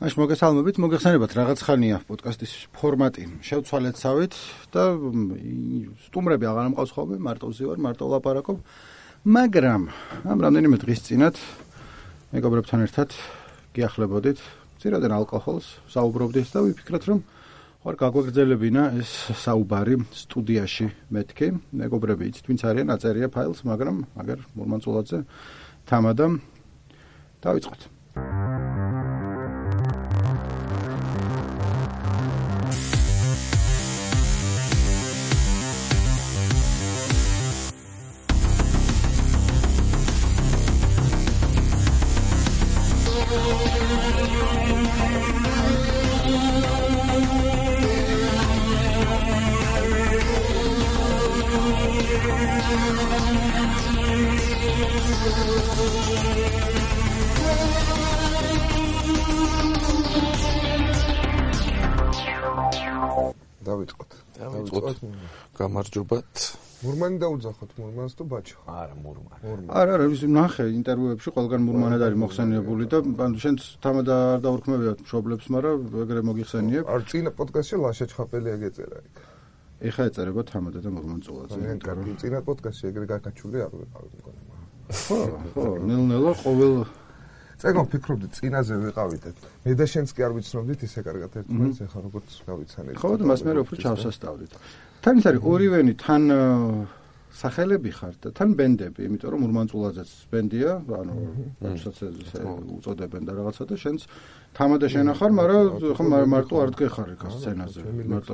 მაშ მოგესალმებით, მოგეხსენებათ რაღაც ხანია პოდკასტის ფორმატი. შევცვალეთ და სტუმრები აღარ ამყავს ხოლმე, მარტოვზე ვარ, მარტო ვლაპარაკობ. მაგრამ ამ რამდენიმე დღის წინათ მეგობრებთან ერთად გიახლებოდით, ძირადენ ალკოჰოლს საუბრობდით და ვიფიქრეთ, რომ ხარ გაგვაგრძელებინა ეს საუბარი სტუდიაში მეთქი. მეგობრები იცით, ვინც არიან, აწერია ფაილს, მაგრამ აგერ მურმანწულაძე თამადა დავიწყოთ. დავიწყოთ. გამარჯობათ. მურმანი დაუძახოთ მურმანს თუ ბაჩო? არა, მურმანი. არა, ნახე ინტერვიუებში ყველგან მურმანად არის მოხსენიებული და შენ თამადა არ დაურქმევიათ მშობლებს, მაგრამ ეგრე მოგიხსენიებ. არ წინა პოდკასტში ლაშა ჩხაპელი აგეწერა იქ. ეხა ეწერება თამადა და მურმანწულაძე. წინა პოდკასტში ეგრე გაკაჩული არ ვიყავით მგონი. ხო, ნელ-ნელა ყოველ წეგო ფიქრობდი წინაზე ვიყავით. მე და შენც კი არ ვიცნობდით ისე კარგად ერთმანეთს, ეხლა როგორც გავიცანეთ. ხო, და მას მე უფრო ჩავსასწავლით. თან ის არის ორივენი თან სახელები ხართ და თან ბენდები, იმიტომ რომ მურმანწულაძეც ბენდია, ანუ რასაც ესე უწოდებენ და რაღაცა და შენც თამადა შენახარ, მაგრამ ხო მარტო არ დგეხარ იქ სცენაზე. მარტო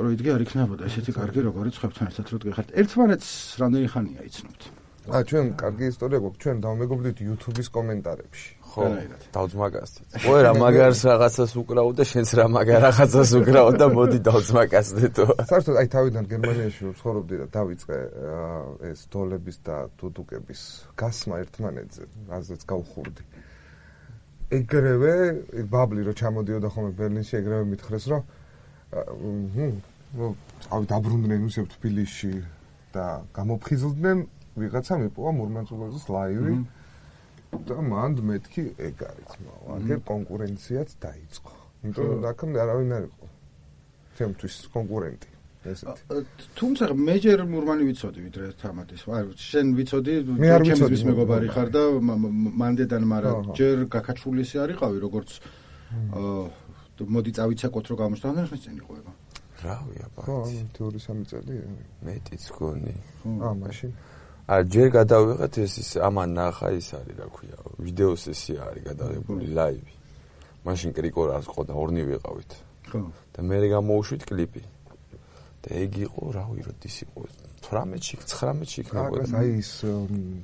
რო იდგე არ იქნებოდა ესეთი კარგი როგორიც ხვებთან ერთად რო დგეხართ. ერთმანეთს რამდენი ხანია იცნობთ? ჩვენ კარგი ისტორია გვაქვს, ჩვენ დავმეგობრდით YouTube-ის კომენტარებში. ხო, დავძმაკასდით. ყოე რა მაგარს რაღაცას უკრავ და შენც რა მაგარ რაღაცას უკრავ და მოდი დავძმაკასდეთო. საერთოდ აი თავიდან გერმანიაში ვცხოვრობდი და დავიწყე ეს დოლების და დუდუკების გასმა ერთმანეთზე, რაზეც გავხურდი. ეგრევე ბაბლი რო ჩამოდიოდა ხოლმე ბერლინში, ეგრევე მითხრეს, რომ დაბრუნდნენ ისევ თბილისში და გამოფხიზლდნენ ვიღაცა მიპოვა მურმანწულაძის ლაივი და მანდ მეთქი ეგ არის მაგერ კონკურენციაც დაიწყო. იმიტომ რომ აქამდე არავინ არ იყო ჩემთვის კონკურენტი ესეთი. თუმცა მე ჯერ მურმანი ვიცოდი ვიდრე თამადის. შენ ვიცოდი ჩემთვის მეგობარი ხარ და მანდედან, მაგრამ ჯერ გაკაჩულისი არიყავი როგორც მოდი წავიცეკოთ რომ გამოშტანდნენ ხნის წინ იყვება. რავი აბა. ხო, 2-3 წელი. მეტიც გონი. მაშინ ჯერ გადავიღეთ ეს ამან ნახა ის არის რა ქვია ვიდეო სესია არის გადაღებული ლაივი. მაშინ კრიკო რას ყოდა ორნი ვიყავით. ხო. და მე გამოუშვით კლიპი. და ეგ იყო რავი როდის იყო 18-ში 19-ში იქნებოდა. აი ეს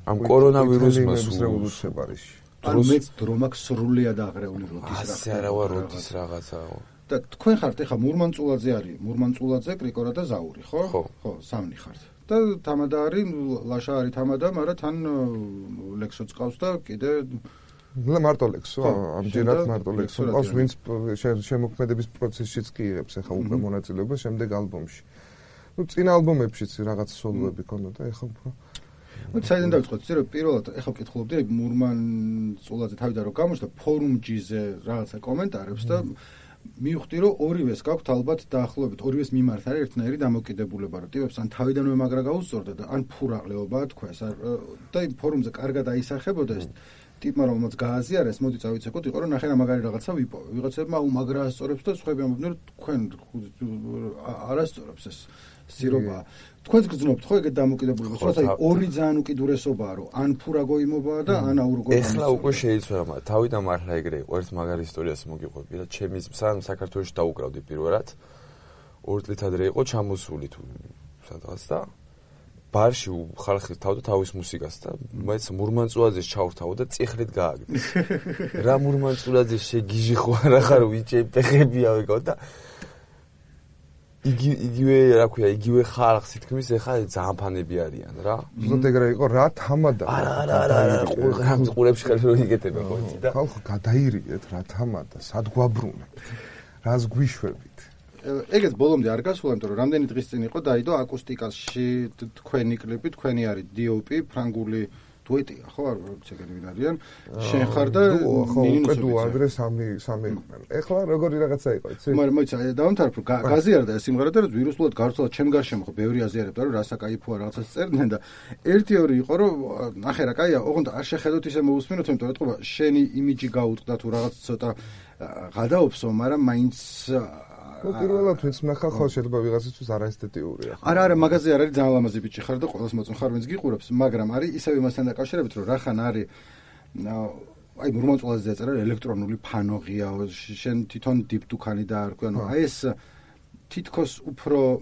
ამ კორონავირუსმა რევოლუცია პარიზში. ანუ მე დრო მაქვს სრულიად აღრეული როდის რა. ასე არა ვარ როდის რაღაცაო. და თქვენ ხართ ეხა მურმანწულაძე არის, მურმანწულაძე, კრიკორა და ზაური, ხო? ხო, სამნი ხართ. და თამადა არის, ლაშა არის თამადა, მაგრამ თან ლექსოც ყავს და კიდე მარტო ლექსო, ამჯერად მარტო ლექსო ყავს, ვინც შემოქმედების პროცესშიც კი იღებს ახლა უკვე მონაწილეობას შემდეგ ალბომში. წინა ალბომებშიც რაღაც სოლოები ქონდა და ახლა უფრო საიდან დავიწყოთ, ისე რომ პირველად ახლა ვკითხულობდი მურმანწულაძე თავიდან რომ გამოჩნდა ფორუმ-ჯიზე რაღაცა კომენტარებს და მივხვდი რომ ორივეს გაქვთ ალბათ დაახლოებით ორივეს მიმართ არის ერთნაირი დამოკიდებულება, რომ ტიპებს ან თავიდან მაგრა გაუსწორდა და ან ფურაღლეობაა თქვენს და იმ ფორუმზე კარგად აისახებოდა ეს ტიპმა რომელმაც გააზიარეს, მოდი წავიცეკოთ, იყო რომ ნახე რა მაგარი რაღაცა ვიპოვე. ვიღაცებმა უმაგრა ასწორებს და სხვაები ამბობდნენ რომ თქვენ არ ასწორებს ეს სირობა. თქვენს გძნობთ ხო ეგეთ დამოკიდებულებას, თორსა ორი ძალიან უკიდურესობაა, რომ ან ფურა გოიმობაა და ან აურგო. ეხლა უკვე შეიცვალა, თავიდან მართლა ეგრე იყო, ერთ მაგარ ისტორიას მოგიყვები რა, ჩემი სამ საქართველოში დაუკრავდი პირველად. 2 წლით ადრე იყო ჩამოსული თუ სადღაც და ბარში ხალხი თავდა თავის მუსიკას და მეც მურმანწულაძეს ჩავრთავ და წიხლით გააგდეს. რა მურმანწულაძე შეგიჟი ხო არა ხარ ვიჭებ ფეხებია ვიყავ და იგივე რა ქვია, იგივე ხალხს თქმის ეხა ძალიან ფანები არიან რა. ზუსტად ეგრე იყო რა თამადა. არა, ყურებში ხარ რო იგეთება ხო იცი და ხალხო გადაირიეთ რა თამადა, სად გვაბრუნებთ? რას გვიშვებით? ეგეც ბოლომდე არ გასულა, იმიტომ რომ რამდენი დღის წინ იყო დაიდო აკუსტიკაში თქვენი კლიპი, თქვენი არის DOP, ფრანგული დუეტია, ხო, არ ვიცი ეგენი ვინ არიან. შენ ხარ და ნინოსები. ხო, ადრე სამი იყვნენ. ეხლა როგორი რაღაცა იყო, იცი? მაგრამ მოიცა, დავამთავრებ, რომ გაზიარდა ეს სიმღერა და ვირუსულად გარცვალა ჩემ გარშემო, ხო, ბევრი აზიარებდა, რომ რასა кайფოა რაღაცას წერდნენ და 1-2 იყო, რომ ნახე რა, კაია, ოღონდ არ შეხედოთ ისე მოусმინოთ, იმიტომ რომ ეთქობა, შენი იმიჯი გაუწყდა თუ რაღაც ცოტა გადაოფსო, მაგრამ მაინც პირველად ვინც ნახა ხო შეიძლება ვიღაცისთვის არაესთეტიურია. არა, მაგაზე არ არის ძალიან ლამაზი ბიჭი ხარ და ყველას მოწონ ხარ ვინც გიყურებს, მაგრამ არის ისევ იმასთან დაკავშირებით, რომ რახან არის აი მურმანწულაზე ეწერა ელექტრონული ფანოღია, შენ თვითონ დიპდუქანი დაარქვი, ანუ აი ეს თითქოს უფრო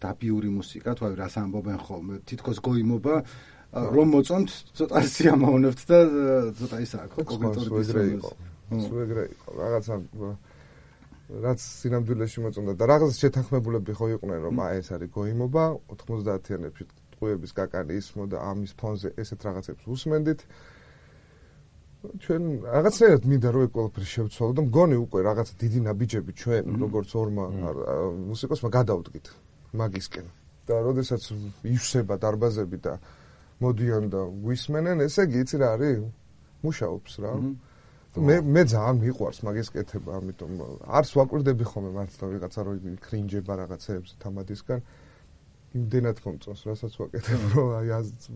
დაბიური მუსიკა, თუ აი რას ამბობენ ხოლმე, თითქოს გოიმობა რომ მოწონთ, ცოტა სიამოვნებთ და ცოტა ის აქვს ხო კოგნიტური სუეგრე იყო. რაღაცა რაც სინამდვილეში მოწონდა და რაღაც შეთანხმებულები ხო იყვნენ რომ აი ეს არის გოიმობა 90-იანებში ტყუების კაკალი ისმო და ამის ფონზე ესეთ რაღაცებს უსმენდით ჩვენ რაღაცნაირად მინდა რომ ეს ყველაფერი შევცვალო და მგონი უკვე რაღაც დიდი ნაბიჯები ჩვენ როგორც ორმა მუსიკოსმა გადავდგით მაგისკენ და როდესაც ივსება დარბაზები და მოდიან და გვისმენენ ესე იგი იცი რა არის მუშაობს რა მე ძალიან მიყვარს მაგის კეთება, ამიტომ არც ვაკვირდები ხოლმე მართლა ვიღაცა რო კრინჯება რაღაცეებს თამადისგან. იმდენად მომწონს, რასაც ვაკეთებ, რომ აი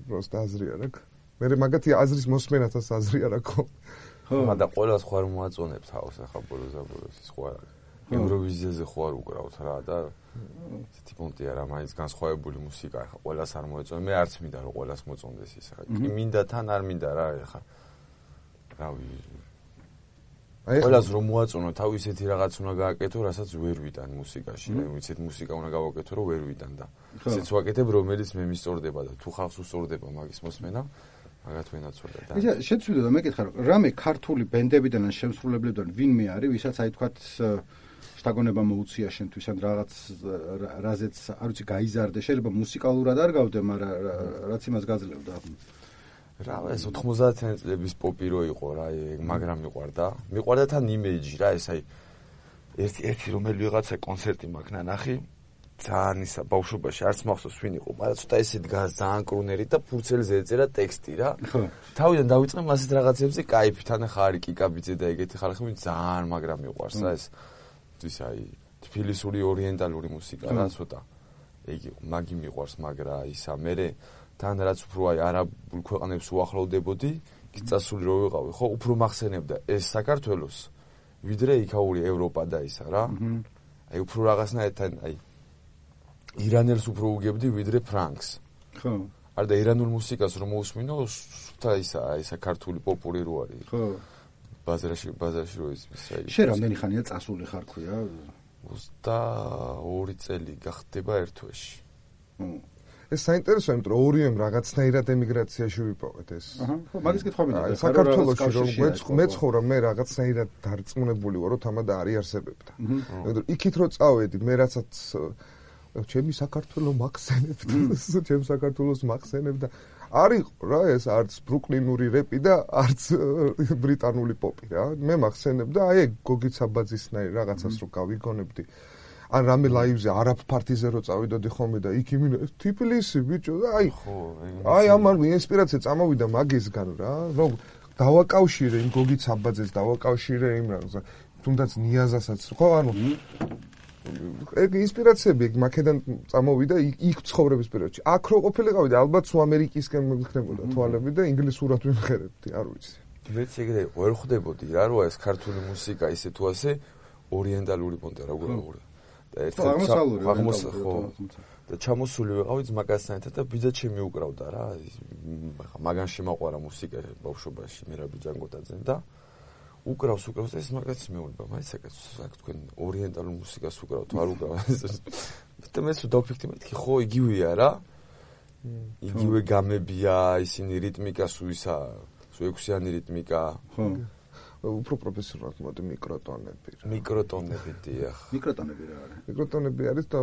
პროსტა აზრი არ აქვს. მე მაგათი აზრის მოსმენათაც აზრი არ აქვს. ხო, მაგრამ ყველას ხო არ მოაწონებს თავს ახლა ბოლოს ის ხო არ არის. ევროვიზიაზე ხო არ უკრავთ რა და ესეთი პონტი არა, მაინც განსხვავებული მუსიკა ახლა ყველას არ მოეწონა. მე არც მინდა რომ ყველას მოწონდეს ის ახლა. კი მინდა თან არ მინდა რა ახლა. რავი ყველას რომ მოაწონო თავი ისეთი რაღაც უნდა გააკეთო, რასაც ვერ ვიტან მუსიკაში, ისეთი მუსიკა უნდა გავაკეთო, რომ ვერ ვიტან და ისეც ვაკეთებ, რომელიც მე მისწორდება და თუ ხალხს უსწორდება მაგის მოსმენა, მაგათ ვენაცვლა და. ისა შეცვლილა და მეკითხა, რომ რამე ქართული ბენდებიდან ან შემსრულებლებიდან ვინმე არის, ვისაც აი თქვათ შთაგონება მოუწია შენთვის ან რაღაც რაზეც არ ვიცი გაიზარდე, შეიძლება მუსიკალურად არ გავდე, მაგრამ რაც იმას გაძლევდა. რა ეს 90-იანი წლების პოპი რო იყო რა, მაგრამ მიყვარდა თან იმეიჯი რა, ეს აი ერთი რომელი ვიღაცა კონცერტი მაქვს ნანახი, ძალიან ისა ბავშვობაში არც მახსოვს ვინ იყო, მაგრამ ცოტა ესე დგას ძალიან კრუნერი და ფურცელზე ეწერა ტექსტი რა. თავიდან დავიწყე მასეთ რაღაცებზე кайფი, თან ახლა არის კიკაბიძე და ეგეთი ხალხი ძალიან მაგრამ მიყვარს რა ეს. ის აი თბილისური ორიენტალური მუსიკა რა ცოტა. იგი მაგი მიყვარს, მაგრამ ისა მერე თან რაც უფრო აი არაბულ ქვეყნებს უახლოვდებოდი, გიწასული რო ვიყავი, ხო, უფრო მახსენებდა ეს საქართველოს, ვიდრე იქაური ევროპა და ისა რა. აი უფრო რაღაცნაირად აი ირანელს უფრო უგებდი ვიდრე ფრანგს. ხო. არა და ირანულ მუსიკას რომ მოусმინო, სუთა ისა ქართული პოპული რო არის. ხო. ბაზარში რო ის აი. შენ რამდენი ხანია წასული ხარ ქვია? 22 წელი გახდება ერთ თვეში. ეს საინტერესოა, იმიტომ რომ ორიემ რაღაცნაირად ემიგრაციაში ვიპოვეთ ეს. ხო, მაგის კითხვა მინდა. საქართველოში რომ მეცხოვრა მე რაღაცნაირად დარწმუნებული ვარ, რომ თამადა არიარსებებდა. იმიტომ რომ იქით რო წავედი, მე რასაც ჩემი საქართველო მახსენებდა, ჩემ საქართველოს მახსენებდა. არის რა ეს არც ბრუკლინური რეპი და არც ბრიტანული პოპი რა. მე მახსენებდა აი გოგი ცაბაძისნაირ რაღაცას რო გავიგონებდი. ან რამე ლაივზე არაბ პარტიზე რო წავიდოდი ხოლმე და იქ იმინა თბილისი ბიჭო და აი ამან ინსპირაცია წამოვიდა მაგისგან რა რომ დავაკავშირე იმ გოგი ცაბაძეს დავაკავშირე იმ რაღაცა თუნდაც ნიაზასაც ხო ანუ ეგ ინსპირაციები მაგედან წამოვიდა იქ ცხოვრების პერიოდში აქ რო ყოფილიყავი და ალბათ სულ ამერიკისკენ მიგხდებოდა თვალები და ინგლისურად ვიმღერებდი არ ვიცი მეც ეგრე ვერ ხვდებოდი რა რო ეს ქართული მუსიკა ისე თუ ასე ორიენტალური პონტი როგორ და ჩამოსული ვიყავი ძმაკაცთან ერთად და ბიძა ჩემი უკრავდა რა მაგან შემაყვარა მუსიკა ბავშვობაში მერაბი ჯანგოტაძე და უკრავს და ეს მაგაცი მეუბნება მაიცაკაც თქვენ ორიენტალურ მუსიკას უკრავთ არ უკრავთ და მე სულ დავფიქრდი მეთქი ხო იგივეა რა იგივე გამებია ისინი რიტმიკა სუისა სუ ექვსიანი რიტმიკა ხო უფრო პროფესიონალურად მოდი მიკროტონები დიახ მიკროტონები რა არის მიკროტონები არის და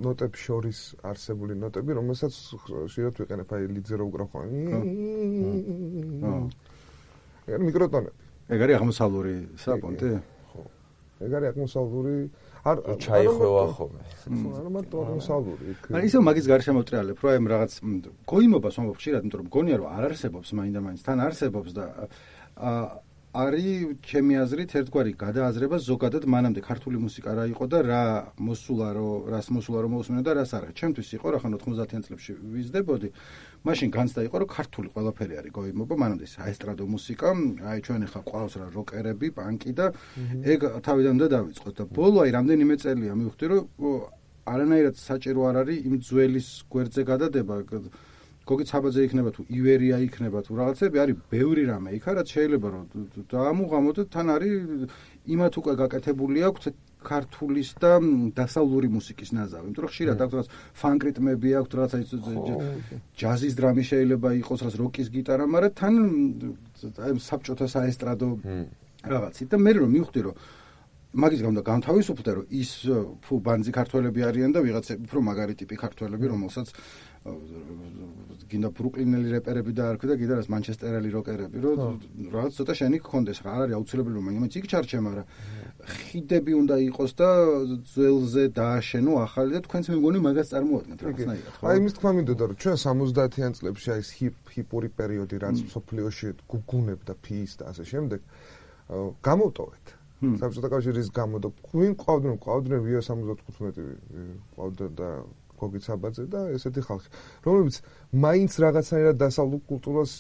ნოტებს შორის არსებული ნოტები რომელსაც შეიძლება ვიყენებ აი ლიდზე რო უკრავ ხო მიკროტონები ეგ არის აღმოსავლური საპონტი ხო ეგ არის ატმოსფერული ჩაიხვევა ხოლმე. არა მარტო ატმოსფერული. მაგრამ ისევ მაგის გარშემო მოტრიალებ, რომ აი რაღაც გოიმობას მომობ ხშირად, იმიტომ რომ გონია რომ არ არსებობს მაინდა-მაინც, თან არსებობს და არის ჩემი აზრით ერთგვარი გადააზრება ზოგადად მანამდე ქართული მუსიკა რა იყო და რას მოსულა რომ მოусმინო და რას არა. ჩემთვის იყო რა ხან 90-იან წლებში ვიზრდებოდი, მაშინ განცდა იყო რომ ქართული ყველაფერი არის გოიმობა, მანამდე საესტრადო მუსიკა, აი ჩვენ ახლა ყავს რა როკერები, პანკი და ეგ თავიდანვე დავიწყოთ და ბოლო აი რამდენიმე წელია მივხვდი რომ არანაირად საჭირო არ არის იმ ძველის გვერდზე გადადება. გოგიც საბაძე იქნება თუ ივერია იქნება თუ რაღაცები არის ბევრი რამე იქ რაც შეიძლება რომ დაამუღამოთ თან არის იმათ უკვე გაკეთებული აქვს ქართulis და დასავლური მუსიკის ნაზავი. იმიტომ რომ ხშირად აქვს რაღაც ფანკ რიტმები აქვს რაღაცა ჯაზის დრამი შეიძლება იყოს რაღაც როკის გიტარა, მაგრამ თან აი საბჭოთა საესტრადო რაღაცით და მე რომ მივხვდი რომ მაგის გამო განთავისუფლდა რომ ის ფუ ბანძი ქართველები არიან და ვიღაცები უფრო მაგარი ტიპი ქართველები რომელსაც გინდა ბრუკლინელი რეპერები დაარქვი და კიდე რას მანჩესტერელი როკერები რომ რაღაც ცოტა შენი გქონდეს რა არ არის აუცილებელი რომ მაინც იქ ჩარჩე მაგრამ ხიდები უნდა იყოს და ძველზე დააშენო ახალი და თქვენც მე მგონი მაგას წარმოადგენთ რაღაცნაირად ხო აი იმის თქმა მინდოდა რომ ჩვენ 70-იან წლებში აი ეს ჰიპური პერიოდი რაც სოფლიოში გუგუნებდა ფის და ასე შემდეგ გამოვტოვეთ საბჭოთა კავშირის გამო და ვინ ყავდნენ ვია 75 ყავდა და გოგი საბაძე და ესეთი ხალხი რომლებიც მაინც რაღაცნაირად დასავლურ კულტურას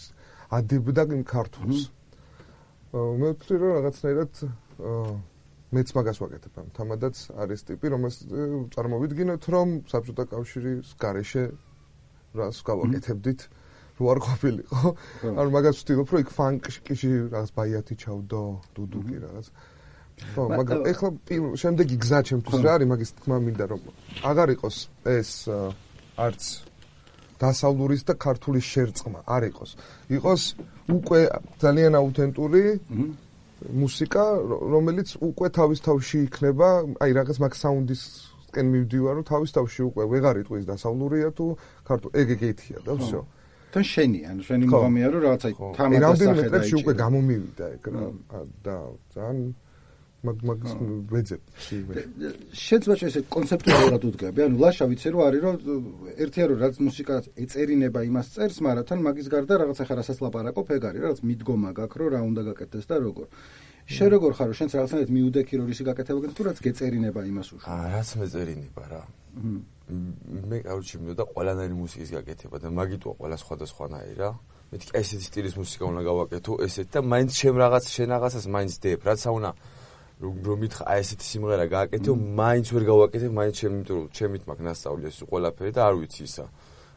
ადებდა იმ ქართულს მე ვთვლი რომ რაღაცნაირად მეც მაგას ვაკეთებ ამ თამადაც არის ტიპი რომელს წარმოვიდგინოთ რომ საბჭოთა კავშირის გარეშე რას გავაკეთებდით რო არ ყოფილიყო ანუ მაგას ვთვლი რომ იქ ფანკში რაღაც ბაიათი ჩავდო დუდუკი რაღაც ხო, მაგრამ ეხლა შემდეგი გზა ჩემთვის რა არის მაგის თქმა მინდა რომ აღარ იყოს ეს არც დასავლურის და ქართულის შერწყმა არ იყოს. იყოს უკვე ძალიან აუთენტური მუსიკა, რომელიც უკვე თავის თავში იქნება, აი რაღაც მაგ საუნდისკენ მივდივარ, რომ თავის თავში უკვე ვეღარ იტყვის დასავლურია თუ ქართული. ეგ-ეგ-ეგეთია და всё. თან შენი მოგამია რომ რაღაცა თამაში რამდენიმე წლებში უკვე გამომივიდა ეგ რა და ძალიან მაგის ვეძებ. შეიძლება ესე კონცეპტუალურად უდგები. ანუ ლაშა ვიცი რომ არის რომ ერთია რომ რაც მუსიკა ეწერინება იმას წერს, მაგრამ თან მაგის გარდა რაღაც ახლა რასაც ლაპარაკობ, ეგ არის რაღაც მიდგომა გაქვს რომ რა უნდა გაკეთდეს და როგორ. შენ როგორ ხარ რომ შენც რაღაცნაირად მიუდექი რომ ისი გაკეთება თუ რაც გეწერინება იმას უშო. რაც მეწერინება რა. მე კაროჩი მინდოდა ყველანაირი მუსიკის გაკეთება და მაგიტოა ყველა სხვადასხვანაირი რა. მეთქი ესეთი სტილის მუსიკა უნდა გავაკეთო, ესეთი და მაინც შენ რაღაცას მაინც დებ, რაც აუნა რომ მითხა აი ესეთი სიმღერა გააკეთო, მაინც ვერ გავაკეთებ, მაინც ჩემით მაქვს ნასწავლი ეს ყველაფერი და არ ვიცი ისა.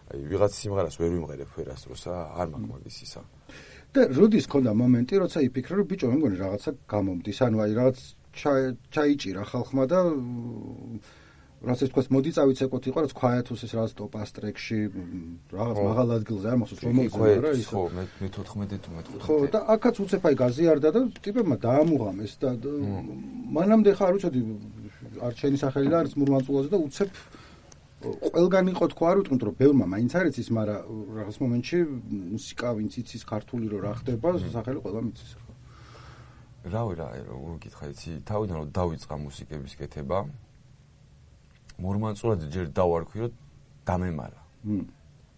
აი ვიღაც სიმღერას ვერ ვიმღერებ ვერას როსა, არ მაქვს მაგის ისა. და როდის ქონდა მომენტი, როცა იფიქრე რომ ბიჭო, მე მგონი რაღაცა გამომდის, ანუ აი რაღაც ჩაიჭირა ხალხმა და რაც ეს თქვა მოდი წავიცეკოთ იყო რაც ქვაეთუს ეს რაღაც ტოპ ასტრეკში რაღაც მაღალ ადგილზე არ მახსოვს რომ მოგზაურა რა ის ხო მე 14 თუ მე 15 ხო და აქაც უცებ აი გაზიარდა და ტიპებმა დაამუღამეს და მანამდე ხარ უცოდი არჩენი სახელი და არის მურმანწულაზე და უცებ ყველგან იყო თქვა არ ვიტყვით რომ ბევრმა მაინც არ იცის მაგრამ რაღაც მომენტში მუსიკა ვინც იცის ქართული რო რა ხდება სახელი ყველა მიცის ხო რავი რა როგორ გითხარ იცი თავიდან რომ დავიწყა მუსიკების კეთება მურმანწულად ჯერ დავარქვი რომ დამემარა.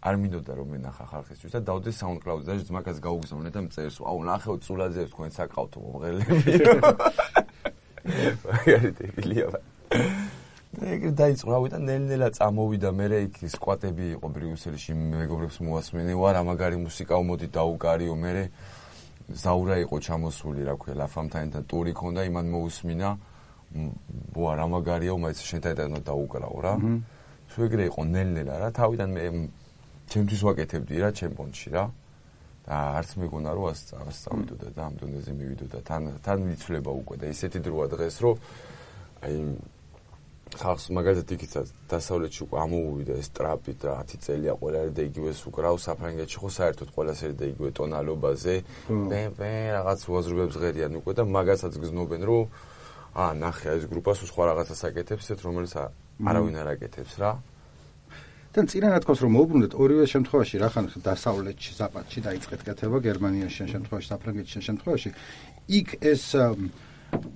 არ მინდოდა რომ მენახა ხალხისთვის და დავდე SoundCloud-ზე და ძმაკაც გაუგზავნე და მწერს აუ ნახეო წულაძეებს თქვენ საკავთო მომღერლები. მაგარი დებილია. და ეგრე დაიწყო რავი და ნელ-ნელა წამოვიდა მე იქ სკვატები იყო ბრიუსელში მეგობრებს მოასმენე ვარ ამაგარი მუსიკა მოდი დაუკარიო მე ზაურა იყო ჩამოსული რა ქვია ლაფამთაინთან ტური ქონდა იმან მოусმინა ვარ ამაგარია უმაიც შენთან დაუკრავ რა. თუ ეგრე იყო ნელ-ნელა რა თავიდან მე ჩემთვის ვაკეთებდი რა ჩემპონში რა. და არც მეგონა რომ ასწავლიდოდა და ამ დონეზე მივიდოდა თან ვიცვლება უკვე და ისეთი დროა დღეს რომ აი ხალხს მაგალითად იქიცაც დასავლეთში უკვე ამოუვიდა ეს ტრაპი და 10 წელია ყველა და იგივეს უკრავ საფრანგეთში ხო საერთოდ ყველა სერი და იგივე ტონალობაზე ბე რაღაც უაზრობებს ღერიან უკვე და მაგასაც გზნობენ რომ ნახე ეს გრუპას სხვა რაღაცას აკეთებს ისეთ რომელიც არავინ არ აკეთებს რა თან წინა თქოს რომ მოუბრუნდეთ ორივე შემთხვევაში რახან დასავლეთში ზაპადში დაიწყეთ კეთება გერმანიაში შემთხვევაში საფრანგეთში შემთხვევაში იქ ეს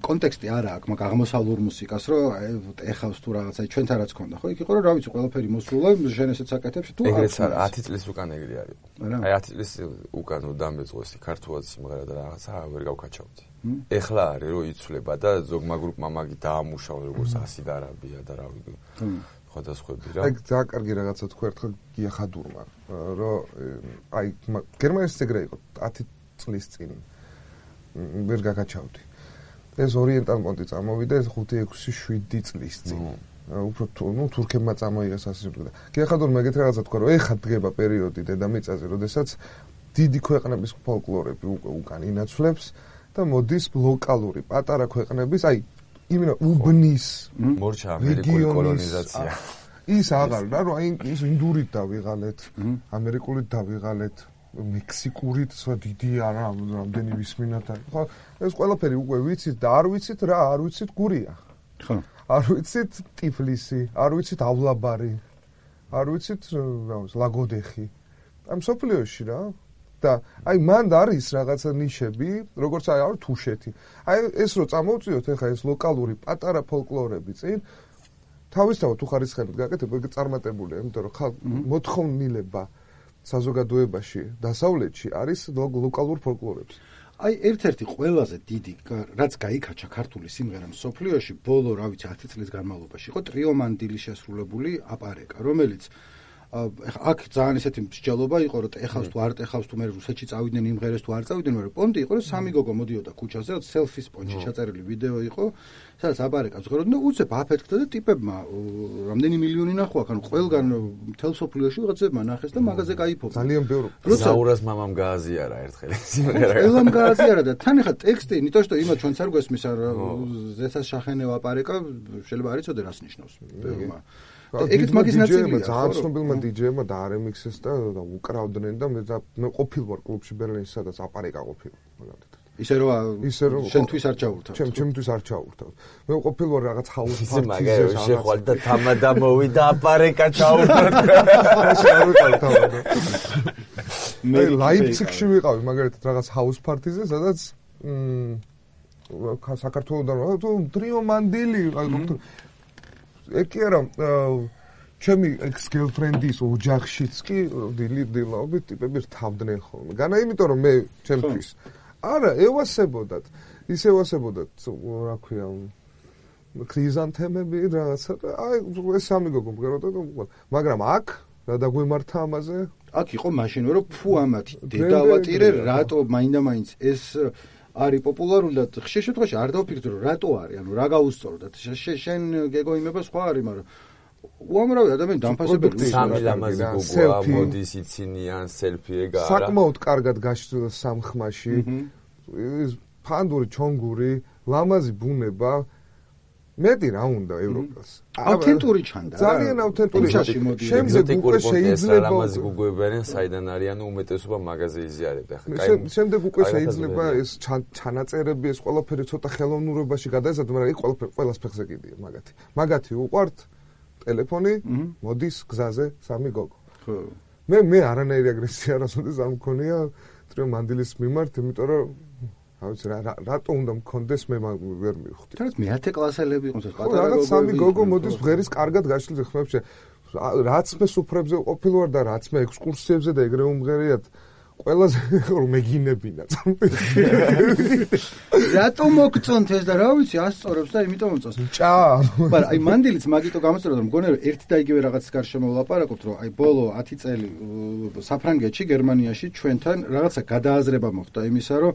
კონტექსტი არა აქვს, მაგ აღმოსავლურ მუსიკას, რომ ეხავს თუ რაღაცა ჩვენთან რაც ქონდა, ხო? იქ იყო რომ რა ვიცი, ყველაფერი მოსულა, შენ ესეც აკეთებს თუ ეგრეც არა, 10 წლის უკან ეგრე არის. აი 10 წლის უკან დამეწყვეს ქართულად სიმღერა და რაღაცა ვერ გავკაჩავდი. ეხლა არის რომ იცვლება და ზოგმა გრუპმა მაგი დაამუშავა როგორც ასიდ არაბია და რა ვიცი. სხვადასხვები რა. აი ძალიან კარგი რაღაცა თქვა ერთხელ გია ხადურმა, რომ აი გერმანიის ეგრე იყო 10 წლის წინ ვერ გაგაჩავდი. ეს ორიენტალ მონტი წამოვიდა ეს 5-6-7 წლის წინ. უფრო თურქებმა წამოიღეს ასე ვთქვა. გიახადურმა ეგეთ რაღაცა თქვა რომ ეხა დგება პერიოდი დედამიწაზე, როდესაც დიდი ქვეყნების ფოლკლორები უკან ინაცვლებს და მოდის ლოკალური პატარა ქვეყნების, აი იმენა უბნის მორჩა ამერიკული კოლონიზაცია. ის აღარ რა რომ აი ის ინდურით დავიღალეთ, ამერიკულით დავიღალეთ. მექსიკურით სხვა დიდი არა რამდენი ვისმინათ ხო ეს ყველაფერი უკვე ვიცით და არ ვიცით რა არ ვიცით გურია ხო არ ვიცით ტიფლისი არ ვიცით ავლაბარი არ ვიცით რა ლაგოდეხი ამ სოფლიოში რა და აი მანდ არის რაღაცა ნიშები როგორც აი არის თუშეთი აი ეს რო წამოვწიოთ ეხა ეს ლოკალური პატარა ფოლკლორები წინ თავისთავად თუ ხარისხებით გაკეთებ ეგ წარმატებულია იმიტომ რომ მოთხოვნილება საზოგადოებაში დასავლეთში არის ლოკალურ ფოლკლორებს. აი ერთ-ერთი ყველაზე დიდი რაც გაიქაჩა ქართული სიმღერა მსოფლიოში ბოლო რა ვიცი 10 წლის განმავლობაში იყო ტრიო მანდილი შესრულებული აპარეკა რომელიც აქ ძალიან ესეთი მსჯელობა იყო რომ ეხავს თუ არ ეხავს თუ მე რუსეთში წავიდნენ იმღერეს თუ არ წავიდნენ მაგრამ პონტი იყო რომ სამი გოგო მოდიოდა ქუჩაზე რომ სელფის პონჩი ჩაწერილი ვიდეო იყო სადაც აპარეკას ღეროდნენ და უცებ აფეთქდა და ტიპებმა რამდენი მილიონი ნახვა ანუ ყველგან მთელ სოფლიოში ვიღაცებმა ნახეს და მაღაზე გაიფობდნენ ძალიან ბევრი ზაურას მამამ გააზიარა ერთხელ სიმღერა ყველამ გააზიარა და თან ახლა ტექსტი ნიტო что იმათ ჩვენც არ გვესმის ზეცას შახენეო აპარეკა შეიძლება არ იცოდე რას ნიშნავს ეგეთ მაგის ნაწილია ძალიან ცნობილმა დიჯეებმა და არემიქსეს და უკრავდნენ და მე ყოფილ ვარ კლუბში ბერლინში სადაც აპარეკა ყოფილი ისე რომ შენთვის არ ჩაურთავ ჩემთვის არ ჩაურთავ მე ყოფილ ვარ რაღაც ჰაუს პარტიზე მაგარი შეხვალ და თამადა მოვიდა აპარეკა ჩაურთავ მე ლაიფციგში ვიყავი მაგალითად რაღაც ჰაუს პარტიზე სადაც საქართველოსდან თუ ტრიო მანდილი ეგ კი არა ჩემი ex-girlfriend-ის ოჯახშიც კი დილაობით ტიპები რთავდნენ ხოლმე. განა იმიტომ რომ მე ჩემთვის არა ევასებოდათ. ის ევასებოდათ რა ქვია ქრიზანთემები რაღაცა აი ეს სამი გოგო მღეროდა მაგრამ აქ რა დაგვემართა ამაზე? აქ იყო მაშინ რომ ფუ ამათი დედავატირე რატო მაინდა-მაინც ეს არის პოპულარული და ხშირ შემთხვევაში არ დავფიქრდი რომ რატო არის, ანუ რა გაუსწორდათ. შენ გეგო იმება სხვა არის, მაგრამ უამრავი ადამიანი დამფასებელი სამი ლამაზი გოგოა, მოდის იცინიან სელფი ეგა არა. საკმაოდ კარგად გაშლილ სამხმაში. ის ფანდური, ჩონგური, ლამაზი ბუნება მეტი რა უნდა ევროპას. ავთენტური ჩანდა. ძალიან ავთენტური. შემდეგ უკვე შეიძლება ლამაზი გოგოები არიან, საიდან არიან, უმეტესობა მაღაზია იზიარებდა. შემდეგ უკვე შეიძლება ეს ჩანაწერები, ეს ყველაფერი ცოტა ხელოვნურობაში გადაიზარდო, მაგრამ იქ ყველას ფეხზე კიდია მაგათი. მაგათი უყვართ ტელეფონი, მოდის გზაზე სამი გოგო. ხო. მე არანაირი აგრესია არასოდეს არ მქონია ტრიო მანდილის მიმართ, იმიტომ რომ ავიცი რატო უნდა მქონდეს მე ვერ მივხვდი. თორემ მე-10 კლასელები იყოს ეს პატარა გოგო. რაღაც სამი გოგო მოდის ღერის კარგად გაშლილ ხმებში. რაც მე სუფრებზე ყოფილ ვარ და რაც მე ექსკურსიებზე და ეგრე უმღერიათ ყველაზე რომ მეგინებინა წამპეში. რატო მოგწონთ ეს და რა ვიცი ასწორებს და იმიტომ მომწონს. ჭა. მაგრამ აი მანდილიც მაგიტო გამოსწორდა რომ მგონია რომ ერთი და იგივე რაღაცის გარშემო ვლაპარაკობთ რომ აი ბოლო 10 წელი საფრანგეთში გერმანიაში ჩვენთან რაღაცა გადააზრება მოხდა იმისა რომ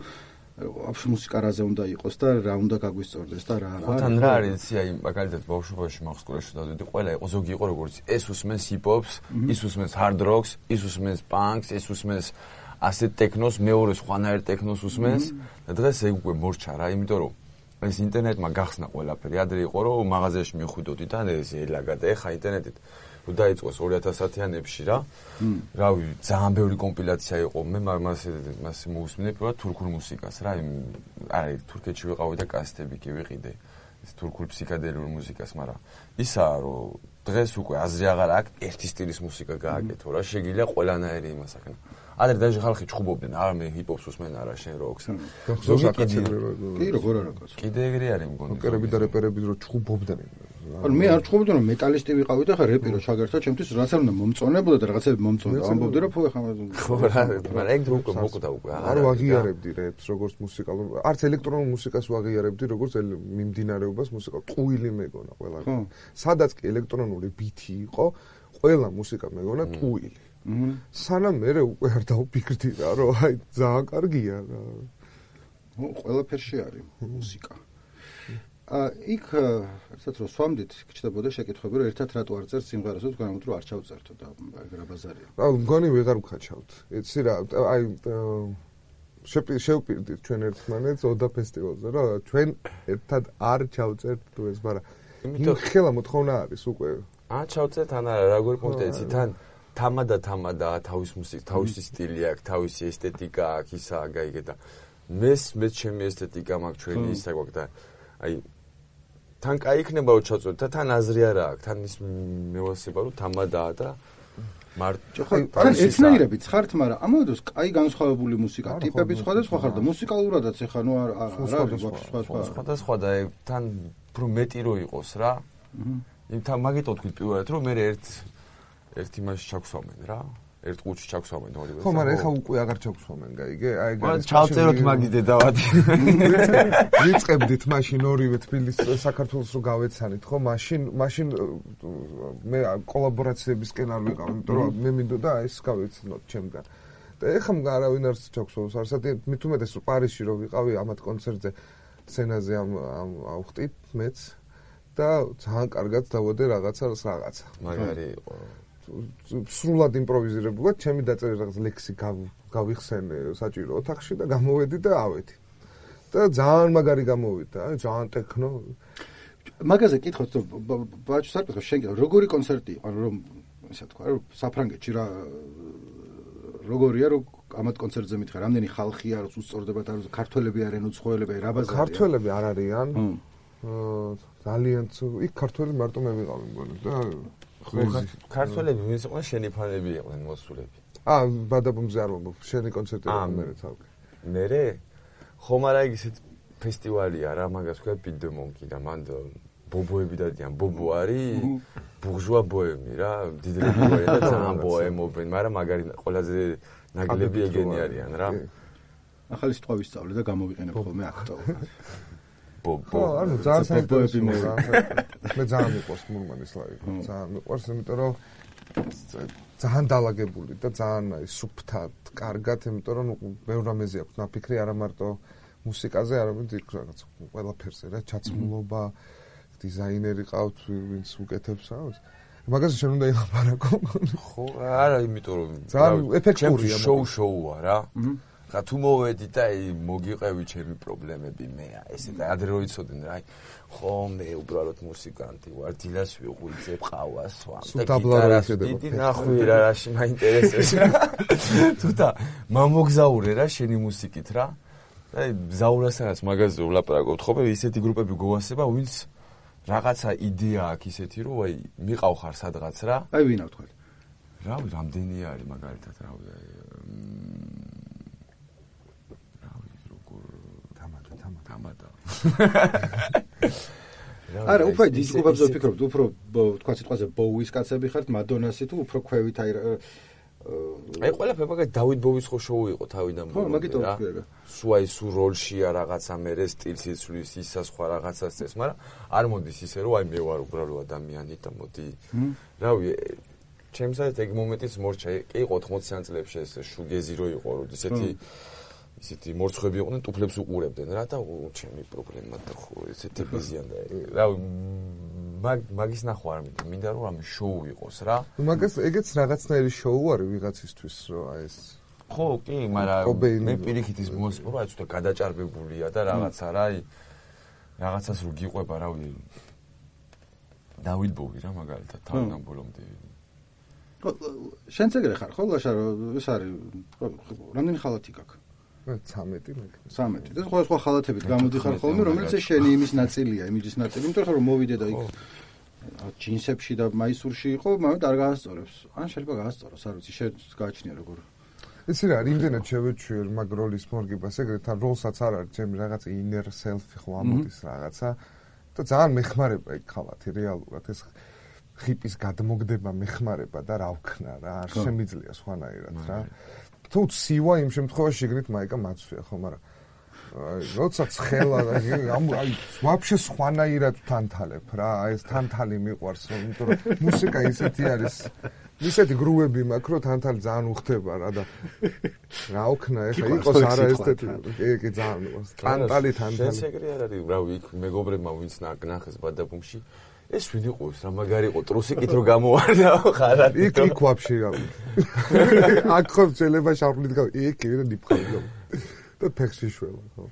აფშ მუსიკა რაზე უნდა იყოს და რა უნდა გაგვისწორდეს და რა არა. თან რა არის აი მაგალითად ბავშვობაში მაგ-სკოლაში დავდიდი ყველა იყო ზოგი იყო როგორც ეს უსმენს ჰიპ-ჰოპს, ის უსმენს ჰარდ როკს, ის უსმენს პანკს, ეს უსმენს ასე ტექნოს, მეორე სხვანაირ ტექნოს უსმენს და დღეს ეგ უკვე მორჩა რა, იმიტომ რომ ეს ინტერნეტმა გახსნა ყველაფერი. ადრე იყო რომ მაღაზიაში მიხვიდოდი და ეს ელაგა და ეხა ინტერნეტით რომ დაიწყოს 2010-იანებში რა. რავი, ძალიან ბევრი კომპილაცია იყო. მე მასე მოусმინე პირველად თურქულ მუსიკას რა. აი, თურქეთში ვიყავი და კასეტები კი ვიყიდე. ეს თურქულ ფსიქადელურ მუსიკას, მაგრამ ისაა რომ დღეს უკვე აზრი აღარ აქვს ერთი სტილის მუსიკა გააკეთო რა შეგიძლია ყველანაირი იმას აქ. ადრე დაჟე ხალხი ჩხუბობდნენ არა მე ჰიპ-ჰოპს უსმენ არა შენ როკს. კი როგორ არა კაცო. კიდე ეგრე არის მგონი. როკერები და რეპერები რო ჩხუბობდნენ. ანუ მე არ ჩხუბობდი რომ მეტალისტი ვიყავი და ხა რეპი რო ჩაგერთა ჩემთვის რაც არ უნდა მომწონებოდა და რაღაცები მომწონდა. ამბობდი რომ ხო ხა ხო რა მაგრამ ეგ დრო უკვე მოკვდა უკვე არ ვაღიარებდი რეპს როგორც მუსიკალურ არც ელექტრონულ მუსიკას ვაღიარებდი როგორც მიმდინარეობას მუსიკა ტყუილი მეგონა ყველა. სადაც კი ელექტრონული ბითი იყო ყველა მუსიკა მეგონა ტყუილი. სანამ მე უკვე არ დავფიქრდი რა რომ აი ძალიან კარგია რა. ყველაფერში არის მუსიკა. იქ ერთად რომ სვამდით გჭდებოდა შეკითხვები რომ ერთად რატო არ წერს სიმღერას თუ თქვენ რომ არ ჩავწერთო და რა ბაზარია. მგონი ვეღარ ვქაჩავთ. იცი რა აი შევპირდით ჩვენ ერთმანეთს ოდა ფესტივალზე რა ჩვენ ერთად არ ჩავწერთ თუ ეს მაგრამ იმიტომ ხელა მოთხოვნა არის უკვე. ჩავწერთ ან არა როგორ პუნქტი იცი თან თამადა თავის მუსიკა, თავისი სტილი აქვს, თავისი ესთეტიკა აქვს, ისა გაიგე და მე ჩემი ესთეტიკა მაქვს ჩვენი ისა გვაქვს და აი თან კაი იქნება რომ ჩავწეროთ და თან აზრი არა აქვს, თან ის მევასება რომ თამადაა და მარტო თან ეცნაირებიც ხართ, მაგრამ ამავე დროს კაი განსხვავებული მუსიკა, ტიპები სხვადასხვა ხარ და მუსიკალურადაც ეხა ნუ არ არის სხვადასხვა და თან უფრო მეტი რო იყოს რა. თან მაგიტო თქვით პირველად რომ მე ერთ იმაში ჩაგვსვამენ რა. ერთ ყუთში ჩაგვსვამენ ორივე. ხო, მაგრამ ეხა უკვე აღარ ჩაგვსვამენ, გაიგე? აი ეს ჩავწეროთ მაგის დედავადი. ვიწყებდით მაშინ ორივე თბილისს საქართველოს რო გავეცანით, ხო? მაშინ მე კოლაბორაციებისკენ არ ვიყავ, იმიტომ რომ მე მინდოდა ეს გავეცნოთ ჩემგან. და ეხა არავინ არ ჩაგვსვამს, არსად მით უმეტეს რომ პარიზში რო ვიყავი ამათ კონცერტზე სცენაზე ავხტით მეც და ძალიან კარგად დავოდე რაღაცა. მაგარი იყო. სრულად იმპროვიზირებულად ჩემი დაწერილი რაღაც ლექსი გავიხსენე საჭირო ოთახში და გამოვედი და ავედი. და ძალიან მაგარი გამოვიდა, აი ძალიან ტექნო. მაგაზე კითხოთ, ბაჭუს არ გითხო, შენ როგორი კონცერტი იყო, რომ ისე თქვა, რომ საფრანგეთში რა როგორია, რომ ამათ კონცერტზე მითხარ, რამდენი ხალხია, რომ უსწორდებათ, არ ქართველები არიან, უცხოელები, რა ბაზარია? ქართველები არ არიან. ძალიან იქ ქართველი მარტო მე ვიყავი მგონი და ქართველები ვინც იყვნენ შენი ფანები იყვნენ მოსულები. ბადაბუმზე არ მომბობ, შენი კონცერტები მერე თავი. მერე? ხო, მაგრამ ეგ ისეთ ფესტივალია რა, მაგას ქვია Beat the Monkey და მან ბობოები დადიან, ბობო არის ბურჟუა ბოემი რა, დიდები ვარიან და ძალიან ბოემობენ, მაგრამ მაგარი ყველაზე ნაგლები ეგენი არიან რა. ახალი სიტყვა ვისწავლე და გამოვიყენებ ხოლმე აქტუალურად. ხო, ანუ ძალიან საინტერესო რა. მე ძალიან მიყვარს მურმანის ლაივი. ძალიან მიყვარს, იმიტომ რომ ძალიან დაალაგებული და ძალიან სუფთად, კარგად, იმიტომ რომ ბევრ რამეზე აქვს ნაფიქრი, არა მარტო მუსიკაზე, არამედ იქ რაღაც ყველაფერზე რა, ჩაცმულობა, დიზაინერი ყავთ, ვინც უკეთებს რა. მაგაზე შენ უნდა ილაპარაკო. ხო, არა, იმიტომ რომ ძალიან ეფექტურია. შოუა რა. ხა თუ მოვედი და მოგიყევი ჩემი პრობლემები მე ესე და ადრე რო იცოდნენ რა ხო მე უბრალოდ მუსიკანტი ვარ დილას ვიღვიძებ ყავას ვამ და გიტარას დიდი ნახვი რა რაში მაინტერესებს თუთა მომგზაურე რა შენი მუსიკით რა და ზაურასაც მაგაზე ვლაპარაკობთ ხო მე ისეთი გრუპები გვასება ვინც რაღაცა იდეა აქვს ისეთი რომ აი მიყავ ხარ სადღაც რა აი ვინა ვთქვი რავი რამდენი არის მაგალითად რავი თამადა. არა, უფრო დისკობებზე ვფიქრობ, უფრო თქვა სიტყვაზე ბოუის კაცები ხართ, მადონასი თუ უფრო ქვევით აი ყველაფერი მაგალითად დავით ბოუის ხო შოუ იყო თავიდან ხო, მაგითო ვთქვი რა. სუ როლშია რაღაცა მერე სტილს იცვლის, ისა სხვა რაღაცას წეს, მაგრამ არ მოდის ისე რომ აი მე ვარ უბრალო ადამიანი და მოდი. რავი, ჩემსაც ეგ მომენტიც მორჩა, კი იყო 80-იან წლებში ეს შუგეზი რო იყო, რომ ისეთი მორცხვები იყვნენ, ტუფლებს უყურებდნენ რა და ჩემი პრობლემა და ხო ესეთი ბიზიან და რავი მაგის ნახვა არ მინდა რომ ამი შოუ იყოს რა. მაგას ეგეც რაღაცნაირი შოუ არის ვიღაცისთვის რომ აი ეს ხო კი, მაგრამ მე პირიქით ის მოსპობა აი ცოტა გადაჭარბებულია და რაღაცა რა აი რაღაცას რო გიყვება რავი დავით ბოუი რა მაგალითად თავიდან ბოლომდე ხო შენც ეგრე ხარ ხო ლაშა რომ ეს არის რამდენი ხალათი გაქვს 13 მე 13 და სხვა ხალათებით გამოდიხარ ხოლმე რომელიც შენი იმის ნაწილია იმიჯის ნაწილი იმიტომ რომ მოვიდე და იქ ჯინსებში და მაისურში იყო, მაგრამ არ გაასწორებს. ან შეიძლება გაასწოროს, არ ვიცი, გააჩნია როგორ. იცი რა, იმდენად შევეჩვიერ მაგ როლის მორგებას, ეგრეთ ან როლსაც არ არის, ჩემი რაღაც inner self-ი ხო ამოდის რაღაცა და ძალიან მეხმარება ეგ ხალათი რეალურად ეს ხიპის გადმოგდება მეხმარება და რა ვქნა რა, არ შემიძლია სხვანაირად რა. თუ ცივა იმ შემთხვევაში შეგნით მაიკა მაცვია ხო, მაგრამ როცა ცხელა აი ვაფშე სხვანაირად თანთალებ რა, აი ეს თანთალი მიყვარს, იმიტომ რომ მუსიკა ისეთი არის, ისეთი გრუვები მაქვს, რომ თანთალი ძალიან უხდება რა და რა ვქნა ეხა იყოს არა ესეთი, კი ძალიან მიყვარს. თანთალი. შესეგრი არ არის, რავი, იქ მეგობრებმა ვინც ნახეს ბადაბუმში ეს ვინ იყო ეს რა მაგარი იყო ტრუსიკით რო გამოვარდაო ხარად იქ ვაფშე რა აქ ხო შეიძლება შარფლით გავი იქ ვინ დიფხავდა და ფეხში შველა ხო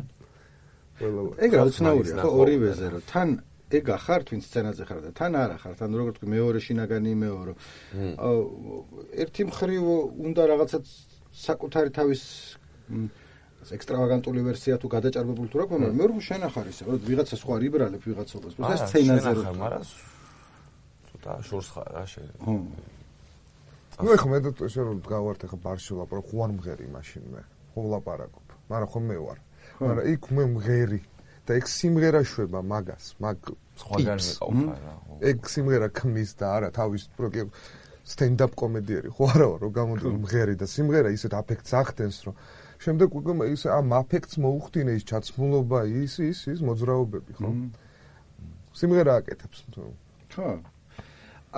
ყველა ეგ რა უცნაურია ხო ორივეზე რომ თან ეგ ახარ twin სცენაზე ხარ და თან არ ახარ თან როგორ თქვი მეორე შინაგანი იმეო რომ ერთი მხრივ უნდა რაღაცა საკუთარი თავის ექსტრავაგანტული ვერსია თუ გადაჭარბებული თუ რა ქვია, მაგრამ მე შენ ახარ ისე, რომ ვიღაცა სხვა რიბრალებ ვიღაცობას, ეს სცენაზე რო. მაგრამ ცოტა შორს ხარ რა შენ. ნუ ეხლა მე და შენ რომ გავართ ეხლა ბარში ვლაპარაკ, ხო არ მღერი მაშინ მე. ხო ვლაპარაკობ. მაგრამ ხო მე ვარ. მაგრამ იქ მე მღერი და ეგ სიმღერა შვება მაგას, მაგ სხვაგან მიყავ რა. ეგ სიმღერა ქმნის და არა თავის პროექტ stand-up კომედიერი ხო არა რომ გამოდიო მღერი და სიმღერა ისეთ აფექტს ახდენს რომ შემდეგ უკვე ის ამ აფექტს მოუხდინე ის ჩაცმულობა ის მოძრაობები ხო სიმღერა აკეთებს ხო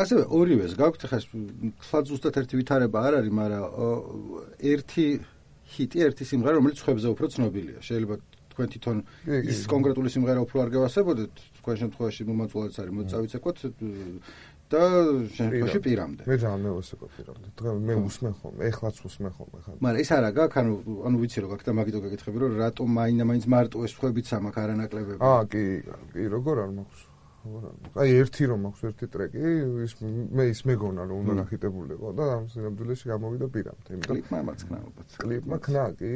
ასევე ორივეს გაქვთ ხა თქვა ზუსტად ერთი ვითარება არ არის მაგრამ ერთი ჰიტი ერთი სიმღერა რომელიც ხებზე უფრო ცნობილია შეიძლება თქვენ თვითონ ის კონკრეტული სიმღერა უფრო არ გევასებოდეთ თქვენ შემთხვევაში მომაწვევად არის მოწავიცეკოთ და შემთხვევაში პირამდე. მე ძალიან მევასება პირამდე. დღეს მე усმენ ხოლმე, ეხლაც усმენ ხოლმე ხან. მაგრამ ეს არა გაქვს, ანუ ვიცი რომ გაქვს და მაგითო გეკითხები რომ რატომ მაინც მარტო ეს ხვებიც ამაკ არანაკლებები. კი, როგორ არ მაქვს. აი ერთი რომ მაქვს ერთი ტრეკი, ის მეგონა რომ უნდა გახიტებულიყო და ამ სინამდვილეში გამოვიდა პირამდე. კლიპმა მაცხნა ალბათ. კლიპმა ქნა კი.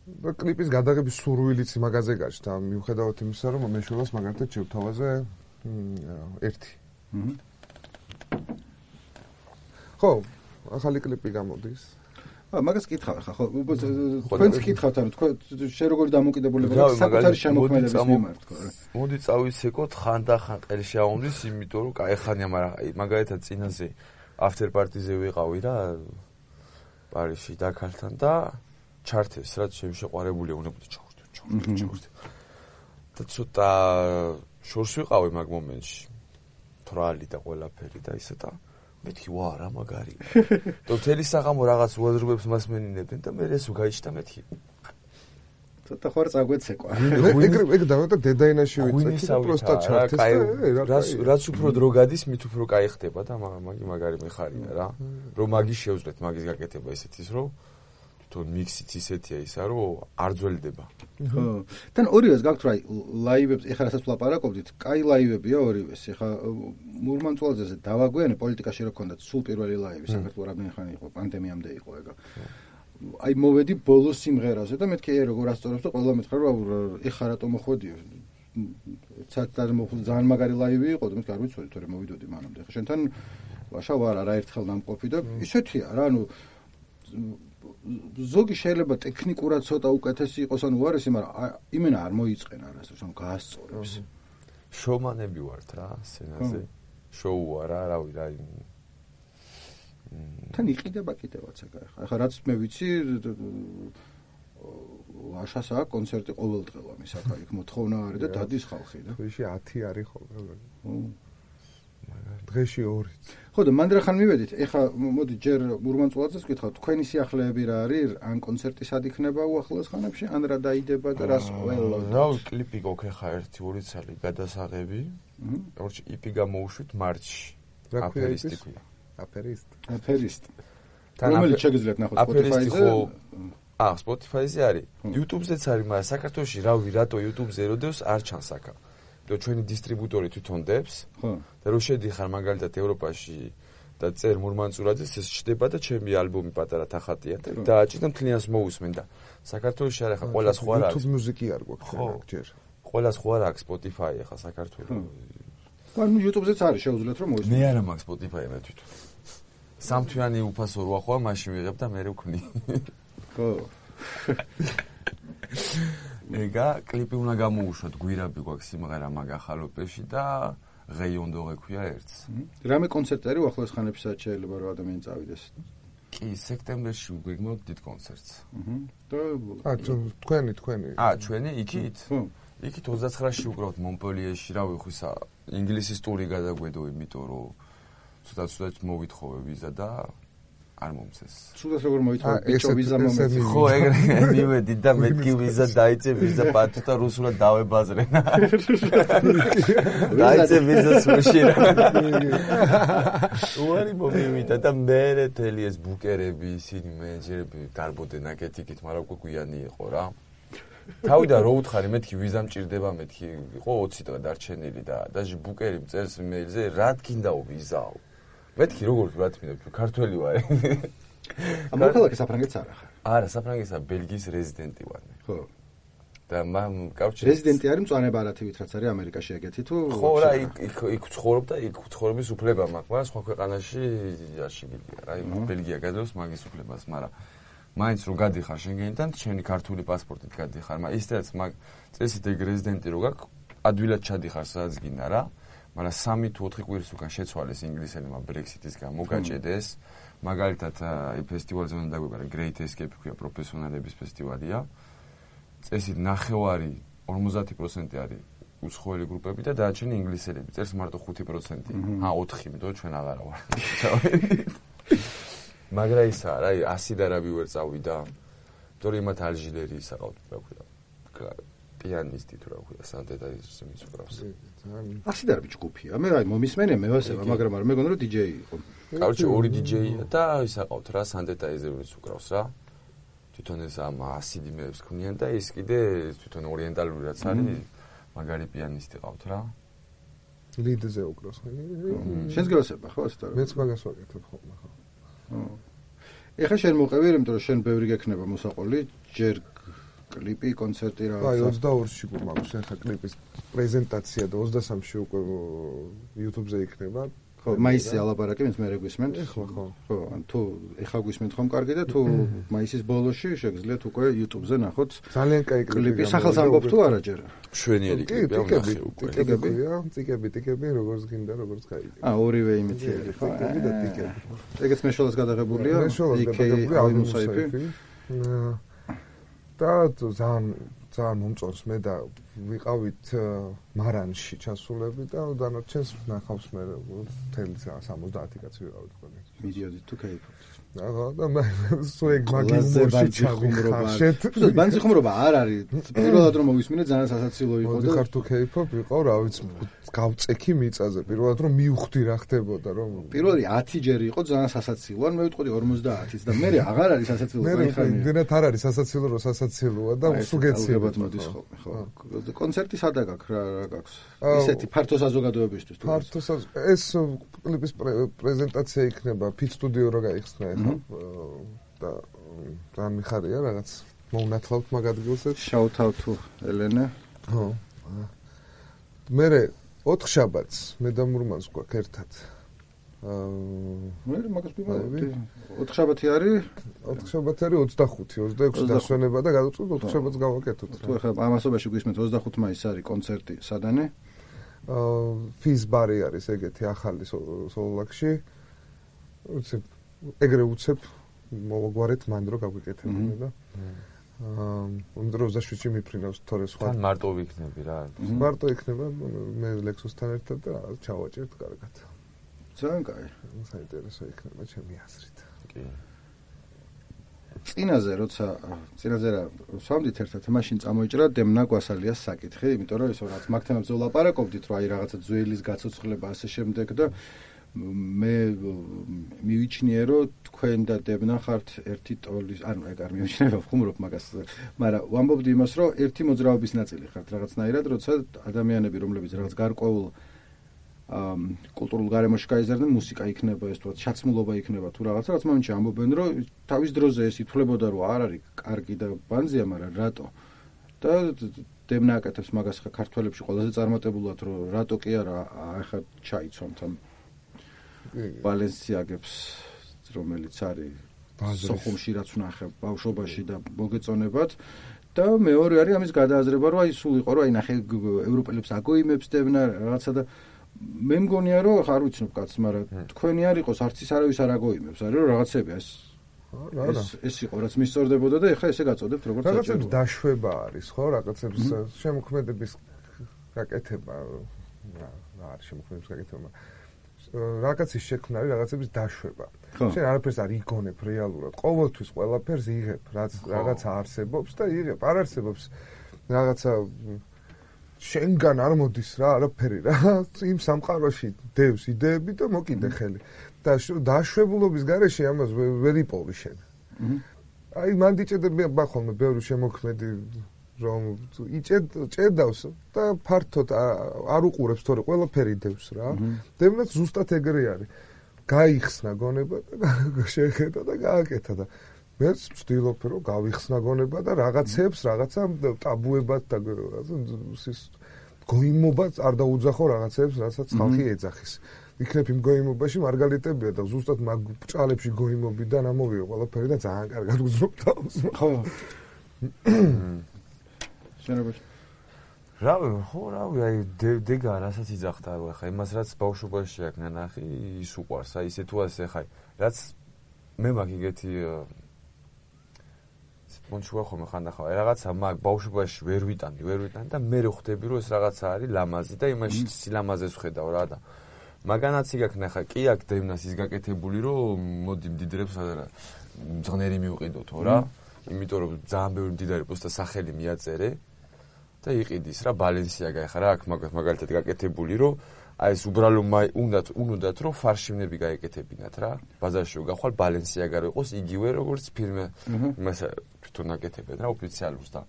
და კლიპის გადაღების სურვილიც მაგაზე გაჩნდა, მიუხედავად იმისა რომ მე შულას მაგათაც შევთავაზე ერთი ხო, ახალი კლიპი გამოდის. მაგას კითხავ ხა, ხო, თქვენც კითხავთ, ანუ თქვენ შე როგორი დამოკიდებულება გაქვთ საკუთარი შემოქმედების მიმართ, ხო რა. მოდი წავისეკოთ ხანდახან ყელი შეაუმრის, იმიტომ რომ кайხანია, მაგრამ აი მაგალითად წინაზე after party-ზე ვიყავი რა პარიზში დაქალთან და ჩართეს რაც შემშეყვარებული უნდა ჩავრდე. და ცოტა შორს ვიყავი მაგ მომენტში. თრალი და ყველაფერი და ისე და მეთქი ვა რა მაგარი. და მთელი საღამო რაღაც უაზრობებს მასმენინებდნენ და მე ეს უგაიჩდა მეთქი. ცოტა ხوار წაგვეცეკვა. ეგ და დედაინაში ვიცი პროსტა ჩართეს. რაც უფრო დრო გადის, მით უფრო кай ხდება და მაგარი მიხარია რა. რომ მაგის შევძლეთ მაგის გაკეთება ისეთის რომ თვითონ მიქსიც ისეთია ისა რომ არ ძველდება. ხო. თან ორივეს გაქვთ რა ლაივებს, ეხლა რასაც ვლაპარაკობდით, კაი ლაივებია ორივეს. ეხლა მურმანწვალაძეზე დავაგვიანე პოლიტიკაში რო ქონდათ სულ პირველი ლაივი საქართველოს რამდენი ხანი იყო, პანდემიამდე იყო ეგა. აი მოვედი ბოლოს სიმღერაზე და მეთქი როგორ ასწორებს და ყველა მეთქა რომ ეხლა რატომ მოხვედიო. ცოტა ძალიან მაგარი ლაივი იყო და მეთქი არ ვიცოდი თორე მოვიდოდი მანამდე. ეხლა შენთან ვაშა ვარ არაერთხელ დამყოფი და ისეთია რა, ანუ ზოგი შეიძლება ტექნიკურად ცოტა უკეთესი იყოს ანუ უარესი, მაგრამ იმენა არ მოიწყენა არასდროს, ანუ გაასწორებს. შოუმანები ვართ რა, სცენაზე. შოუა რა, რავი რა. თან იყიდება კიდევაც ეგ. ახლა რაც მე ვიცი, ვაშას აქვს კონცერტი ყოველდღელა მის აქ იქ მოთხოვნა არის და დადის ხალხი და. დღეში 10 არის ხოლმე. დღეში 2. ხო და მანდრახან მივედით. ეხლა მოდი ჯერ მურმანწვალაძეს ვკითხავ, თქვენი სიახლეები რა არის? ან კონცერტი სად იქნება უახლოეს ხანებში, ან რა დაიდება და რას ყველა. რა კლიპი გქონდა ეხლა 1-2 წელი გადასაღები. ორჩი იპი გამოუშვით მარტში. აფერისტი ქვია. აფერისტ. რომელიც შეგიძლიათ ნახოთ Spotify-ზე. Spotify-ზე არის. YouTube-ზეც არის, მაგრამ საქართველოში რავი რატო YouTube-ზე როდეოს არ ჩანს აქა. და ჩვენი დისტრიბუტორი თვითონ დებს. ხო. და რო შედიხარ მაგალითად ევროპაში და წერ მურმანწურაძეს ეს ჩდება და ჩემი ალბომი პატარა თახატია და დააჭირდა მთლიანს მოусმენ და საქართველოში არა ხა ყველა სხვა არის. YouTube მუსიკი არ გვაქვს ჯერ. ყველა სხვა აქვს Spotify ხა საქართველოს. ანუ YouTube-ზეც არის შეუძლიათ რომ მოისმინო. მე არა მაქვს Spotify მე თვითონ. სამთვიანი უფასო რო ახლა მაშინ ვიღებ და მე ვქნი. ხო. ეგა კლიპი უნდა გამოუშვათ, გვირაბი გვაქვს სიმღერა მაგ ახალოპეში და ღეიონდო ექვია ერთს. რამე კონცერტი არის უახლოეს ხანებსაც შეიძლება რომ ადამიანი წავიდეს. კი, სექტემბერში გვიგმოთ დიდ კონცერტს. და თქვენი. ჩვენი იქით? იქით 29-ში უკრავთ მონპელიეში, რა ვიხისა, ინგლისის ტური გადაგვედო, იმიტომ რომ ცუდად მოვითხოვე ვიზა და არ მომცეს. ცუდად როგორ მოითხოვე ბიჭო ვიზა მომეც. ხო, ეგრე მივედი და მეთქი ვიზა დაიწე, ვიზა პატუ და რუსულად დავებაზრენა. დაიწე ვიზა სულშირა. უარი მომივიდა და მე თელი ეს ბუკერები, ისინი მენეჯერები გარბოდნენ აკეთიკით, მაგრამ უკვე გვიანი იყო რა. თავიდან რო უთხარი მეთქი ვიზა მჭირდება, მეთქი იყო 20 დღე დარჩენილი და დაჟე ბუკერი მწერს იმეილზე, რა თქინდაო ვიზაო. მეთქი როგორ ვათმინებ, ქართველი ვარ. მოქალაქე საფრანგეთს არ ახარ. არა, საფრანგეთსა ბელგიის რეზიდენტი ვარ. ხო. და მამ კავშირი რეზიდენტი არის მწვანე ბარათივით რაც არის ამერიკაში ეგეთი თუ ხო რა იქ ცხოვრობ და იქ ცხოვრების უფლება მაქვს, მაგრამ სხვა ქვეყანაში არ შეგიძლია რა, ბელგია გადავს მაგის უფლებას, მაგრამ მაინც რო გადიხარ შენგენიდან, შენი ქართული პასპორტით გადიხარ, მაგრამ ისედაც მაგ წესით ეგ რეზიდენტი რო გაქვს, ადვილად ჩადიხარ სადაც გინდა რა. მაგრამ 3 თუ 4 კვირის უკან შეცვალეს ინგლისელებმა Brexit-ის გამო გაჭედეს. მაგალითად, აი ფესტივალზე უნდა დაგვიგარა Great Escape ქვია, პროფესიონალების ფესტივალია. წესით 9 50% არის უცხოელი გრუპები და დანარჩენი ინგლისელები. წერს მარტო 5%. 4, იმიტომ ჩვენ აღარა ვარ. მაგრამ ისა რა, 100 და რავი ვერ წავიდა. თორე იმათ ალჟირერი ისაყავთ, რა ქვია. პიანისტი თუ რა ქვია, სანტეტა ის მიცუქრავს. ასი და რა ჯგუფია. მე აი მომისმენია მე ვასება, მაგრამ არ მეგონა რომ DJ იყო. კაუჩი 2 DJ-ია და ისაყავთ რა, სანტეტაიზერიც უკრავს რა. თვითონ ეს ამ ასიდი მეებს ქმნიან და ის კიდე თვითონ ორიენტალური რაც არის, მაგარი პიანისტი ყავთ რა. ლიდზე უკრავს. შენს გასება ხო ასე და მეც მაგას ვაკეთებ ხოლმე ხო. ეხლა შენ მოყევი, იმიტომ რომ შენ ბევრი გექნება მოსაყოლი, ჯერ კლიპი, კონცერტი რა. აი 22-ში გვაქვს ახლა კლიპის პრეზენტაცია და 23-ში უკვე YouTube-ზე იქნება. ხო, მაისზე ალაპარაკი, მე რეგვისმენთ. ხო. ხო, ან თუ ეხლა გვისმენთ ხომ კარგი და თუ მაისის ბოლოში შეგიძლიათ უკვე YouTube-ზე ნახოთ. ძალიან კაი კლიპი. სახელს ამბობ თუ არა ჯერ? მშვენიერი კლიპი ამ ნახე უკვე. ტიკები, როგორც გინდა, როგორც კაი. ორივე იმითიერი ხო? ტიკები და ტიკები. ეგეც მეშოლას გადაღებულია? იქ და ძალიან მომწონს მე და ვიყავით მარანში ჩასულები და დანარჩენს ნახავს მე მთელი 70 კაცი ვიყავით ხოლმე. მიდიოდით თუ кайფობთ. და მე სუეგ მაგიზმორში ჩავიხარშეთ. ბანძი ხუმრობა არ არის. პირველად რომ მოვისმინე ძალიან სასაცილო იყო და ხარ თუ кайფობ ვიყავ რა ვიცი გავწექი მიწაზე. პირველად რომ მივხვდი რა ხდებოდა რომ პირველი 10 ჯერი იყო ძალიან სასაცილო. ან მე ვიტყოდი 50-ით და მე აღარ არის სასაცილო. მე იმდენად არ არის სასაცილო რომ სასაცილოა და სუგეციებად მოდის ხოლმე ხო. კონცერტი სადა გაქვს რა გაქვს? ისეთი ფართო საზოგადოებისთვის თუ ფართო ეს კლიპის პრეზენტაცია იქნება Fit Studio რო გაიხსნა ეხლა და ძალიან მიხარია რაღაც მოუნათლავთ მაგ ადგილზე shout out to Elena. ხო. მე 4 შაბათს მე და მურმანს გვაქვს ერთად. მე მაგას ვიმეორებ. 4 შაბათი არის? 4 შაბათი არის 25, 26 დასვენება და გადავწყვეტ 4 შაბათს გავაკეთოთ. თუ ახლა ამასობაში გვისმენთ 25 მაისს არის კონცერტი სადანე? ფიზ ბარი არის ეგეთი ახალი სოლოლაკში. უცებ ეგრე უცებ მოვაგვარეთ მანდ რო გავიკეთებინე და უმდრო 27-ში მიფრინავს თორე სხვა. თან მარტო ვიქნები რა. მარტო იქნება მე ლექსუსთან ერთად და ჩავაჭერთ კარგად. ძალიან კაი. საინტერესო იქნება ჩემი აზრით. კი. წინაზე როცა სვამდით ერთად მაშინ წამოიჭრა დემნა გვასალიას საკითხი, იმიტომ რომ ისო რაც მაგ თემებზე ვლაპარაკობდით, რომ აი რაღაცა ძველის გაცოცხლება ასე შემდეგ და მე მივიჩნიე რომ თქვენ და დემნა ხართ ერთი ტოლის, ანუ ეგ არ მივიჩნიე ვხუმრობ მაგას, მაგრამ ვამბობდი იმას რომ ერთი მოძრაობის ნაწილი ხართ რაღაცნაირად, როცა ადამიანები რომლებიც რაღაც გარკვეულ კულტურულ გარემოში გაიზარდნენ, მუსიკა იქნება ეს თქო, ჩაცმულობა იქნება თუ რაღაცა, რაც მომენტში ამბობენ, რომ თავის დროზე ეს ითვლებოდა, რომ არ არის კარგი და ბანზია, მაგრამ რატო? და დევნა აკეთებს მაგას ხა ქართველებში ყველაზე წარმატებულად რომ რატო კი არა ახლა ჩაიცვამთ ამ ბალენსიაგებს რომელიც არის სოხუმში რაც ვნახე ბავშვობაში და მოგეწონებათ და მეორე არის ამის გადააზრება რომ აი სულ იყო რომ აი ნახე ევროპელებს აგოიმებს დევნა რაღაცა და მე მგონია რომ არ ვიცნობ კაცს მაგრამ თქვენი არ იყოს არც ის არავის არ აგოიმებს არის რომ რაღაცები ეს იყო რაც მისწორდებოდა და ეხლა ესე გაწოდებთ როგორც საჭირო რაღაცებს დაშვება არის ხო რაღაცებს შემოქმედების გაკეთება რა არის შემოქმედების გაკეთება რაღაცის შექმნა არის რაღაცების დაშვება შენ არაფერს არ იგონებ რეალურად ყოველთვის ყველაფერს იღებ რაღაცა არსებობს და იღებ არ არსებობს რაღაცა შენგან არ მოდის რა არაფერი რა იმ სამყაროში დევს იდეები და მოკიდე ხელი და დაშვებულობის გარეშე ამას ვერ იპოვი შენ აი მან დიჭედება ხოლმე ბევრი შემოქმედი რომ ჭედავს და ფართოდ არ უყურებს თორე ყველაფერი დევს რა დევნაც ზუსტად ეგრე არის გაიხსნა გონება და შეხედა და გააკეთა და მეც ვცდილობ რომ გავიხსნა გონება და რაღაცებს რაღაცა ტაბუებად და ის გოიმობაც არ დაუძახო რაღაცებს რასაც ხალხი ეძახის იქნებ იმ გოიმობაში მარგალიტებია და ზუსტად მაგ ბრჭყალებში გოიმობიდან ამოვიო ყველაფერი და ძალიან კარგად უძრობ თავს ხო შენებაში რავი აი დეგა რასაც იძახდა ახლა იმას რაც ბავშვობაში აქნა ნახი ის უყვარს აი ისე თუ ასე ხაი რაც მე მაგ იგეთი მონჩუა ხომ ხანდახა რაღაცა მაგ ბავშვობაში ვერ ვიტანდი და მე ხვდები რომ ეს რაღაცა არის ლამაზი და იმაში სილამაზეს ვხედავ რა და მაგანაც იგაქნა ხა კი აქ დევნას ის გაკეთებული რომ მოდი მდიდრებს მძღნერი მივყიდოთო რა იმიტომ რომ ძალიან ბევრი მდიდარი პოსტა სახელი მიაწერე და იყიდის რა ბალენსიაგა ხა რა აქ მაგალითად გაკეთებული რომ აი ეს უბრალო უნდათ რომ ფარშიმნები გაეკეთებინათ რა ბაზარში გახვალ ბალენსიაგა რო იყოს იგივე როგორც ფილმი იმას თვითონ აკეთებენ რა ოფიციალურს და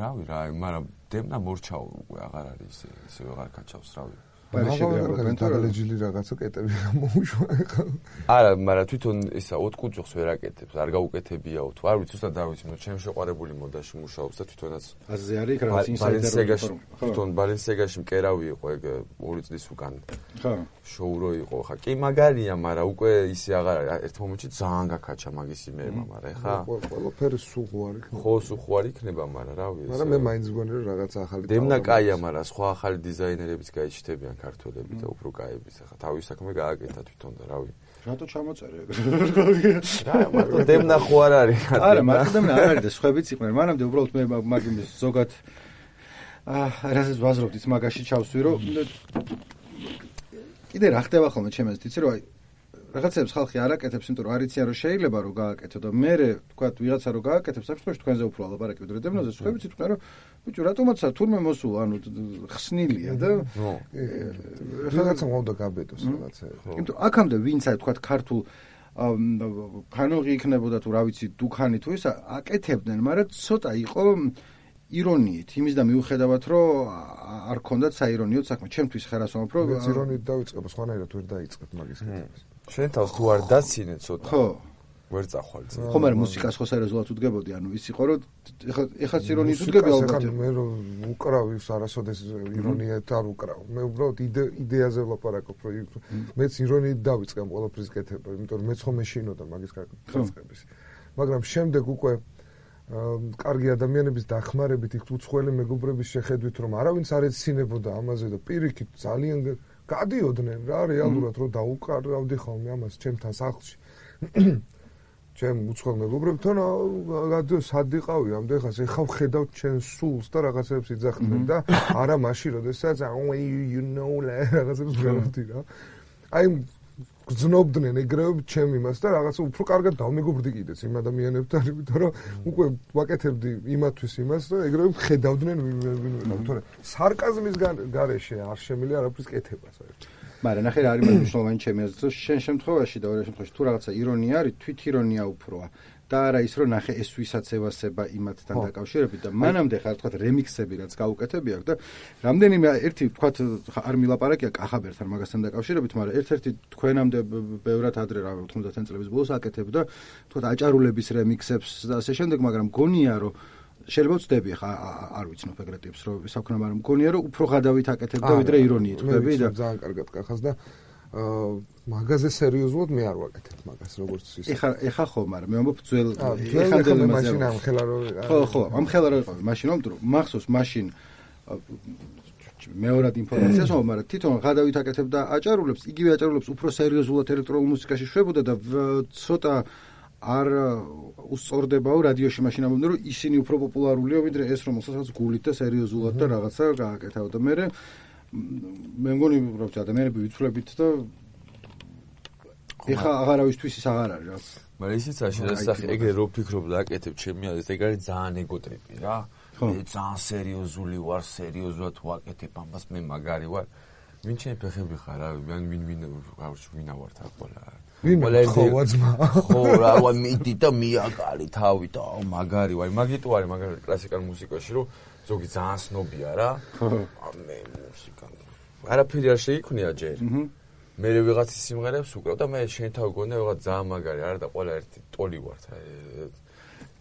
რავი რა მაგრამ დევნა მორჩაო უკვე აღარ არის ისე აღარ კაჩავს რავი დაგალეჯილი რაღაცა კეტები გამოუშვა ხა არა მაგრამ თვითონ ისა ოტკუჭოს ვერ აკეთებს არ გაუკეთებიაო თუ არ ვიცი უბრალოდ დავიცი ნუ ჩემ შეყვარებული მოდაში მუშაობს და თვითონაც აზე არის რაღაც ინსაიდერი თვითონ ბალენსიაგაში მკერავი იყო ეგ 2 წლის უკან ხა შოუ რო იყო ხა კი მაგარია მაგრამ უკვე ისე აღარ არის ერთ მომენტში ძალიან გაკაჩა მაგის იმეება მაგრამ ხა ყველაფერი სუღوارი ხო სუღوارი იქნება მაგრამ რავი მაგრამ მე მაინც მგონი რომ რაღაც ახალი დევნა კაია მაგრამ სხვა ახალი დიზაინერებიც გაიჩნდებიან ქართველები და უფრო კაების ახლა თავის საქმე გააკეთა თვითონ და რავი რატო ჩამოწერე რა მაგრამ დევნა ხო არ არის არა მაგრამ არ არის და სხვაებიც იყვნენ მანამდე უბრალოდ მე მაგის ზოგად რასაც ვაზრობდით მაგაში ჩავსვი რომ კიდე რა ხდება ხოლმე ჩემს იცი რომ აი რაღაცებს ხალხი არ აკეთებს იმიტომ რომ არ იციან რომ შეიძლება რომ გააკეთო და მე თქვა ვიღაცა რომ გააკეთებს საფრთხეში თქვენზე უფრო ალაპარაკი ვიდრე დევნაზე სხვაებიც იყვნენ რომ ბიჭო რატომაც თურმე მოსულა ანუ ხსნილია და რაღაცა მოვდა გაბედოს რაღაცა იმიტომ აქამდე ვინც აი თქვა ქართულ ფანოღი იქნებოდა თუ რა ვიცი დუქანი თუ ისა აკეთებდნენ მაგრამ ცოტა იყო ირონიით იმის და მიუხედავად რომ არ ქონდათ საირონიო საქმე ჩემთვის ხერასომაფ რომ ირონიით დავიწყებ სხვანაირად ვერ დაიწყებ მაგის კეთებას შენ თავს თუ არ დაცინე ცოტა ხო ვერ წახვალ წინ ხო მაგრამ მუსიკას ხო სერიოზულად უდგებოდი ანუ ის იყო რომ ეხლა ირონიით უდგები ალბათ მე რომ უკრავ ის არასოდეს ირონიით არ უკრავ მე უბრალოდ იდეაზე ვლაპარაკობ რომ მეც ირონიით დავიწყე ამ ყველაფრის კეთება იმიტომ რომ მეც ხომ მეშინოდა მაგის კეთების მაგრამ შემდეგ უკვე კარგი ადამიანების დახმარებით იქ უცხოელი მეგობრების შეხედვით რომ არავინც არ ეცინებოდა ამაზე და პირიქით ძალიან გადიოდნენ რა რეალურად რომ დაუკარავდი ხოლმე ამას ჩემთან სახლში ჩემ უცხოელ მეგობრებთან სადიყავი ამდე ხას ეხავ ხედავ ჩემ სულს და რაღაცებს იძახდნენ და არა მაშინ როდესაც you know რაღაცებს გავხდი რა აი გძნობდნენ ეგრევე ჩემ იმას და რაღაცა უფრო კარგად დავმეგობრდი კიდეც იმ ადამიანებთან, იმიტომ რომ უკვე ვაკეთებდი იმათვის იმას და ეგრევე ხედავდნენ ვინ თორე სარკაზმის გარეშე არ შემიძლია არაფრის კეთება საერთოდ. მაგრამ ნახე რა არის მნიშვნელოვანი ჩემი აზრით, რომ შენ შემთხვევაში და ორ შემთხვევაში თუ რაღაცა ირონია არის, თვით ირონია უფროა. და არა ის რომ ნახე ეს ვისაც ევასება იმათთან დაკავშირებით და მანამდე ხარ თქვა რემიქსები რაც გაუკეთები აქვს და რამდენიმე ერთი თქვა არ მილაპარაკია კახაბერთან მაგასთან დაკავშირებით, მაგრამ ერთ-ერთი თქვენამდე ბევრად ადრე რა 90-იან წლების ბოლოს აკეთებდა თქვა აჭარულების რემიქსებს და ასე შემდეგ, მაგრამ გონია რომ შეიძლება ვწდები ხა არ ვიცნობ ეგრე ტიპს რომ საქმე არ მგონია რომ უფრო ღადავით აკეთებდა ვიდრე ირონიით ხვდები და ძალიან კარგად კახავს და მაგაზე სერიოზულად მე არ ვაკეთებ მაგას როგორც ის. ეხა ხო, მაგრამ მე ამბობ ძველ ეხანდელი მაშინ ამ ხელა რო ხო, ამ ხელა რო იყავი მაშინ რომ მახსოვს მაშინ მეორად ინფორმაციას ვამბობ, მაგრამ თვითონ ღადავით აკეთებდა აჭარულებს, იგივე აჭარულებს უფრო სერიოზულად ელექტრონულ მუსიკაში შვებოდა და ცოტა არ უსწორდებაო რადიოში მაშინ ამბობდნენ რომ ისინი უფრო პოპულარულია ვიდრე ეს რომელსაც გულით და სერიოზულად და რაღაცა გააკეთავდა და მე მგონი რომ ადამიანები ვიცვლებით და ეხა აღარავისთვის ის აღარ არის რა. მაგრამ ისიც არ შესახე ეგრე რო ფიქრობ და აკეთებ ჩემი აზრით ეგ არის ძალიან ეგოტრიპი რა. მე ძალიან სერიოზული ვარ, სერიოზულად ვაკეთებ ამას, მე მაგარი ვარ. ვინ ჩემი ფეხები ხარ რა, ვინა ვარ თა ყველა. ყველა ძმა. ხო რა, მიდი და მიაკალი თავი და მაგარი ვარ. მაგიტო არის მაგარი კლასიკურ მუსიკაში რომ ზოგი ძალიან სნობია რა. მე მუსიკა არაფერი არ შეიქმნია ჯერ. მე ვიღაცის სიმღერებს უკრავ და მე შენ თავი გონდა ვიღაც ძალიან მაგარი არა და ყველა ერთი ტოლი ვარ თა.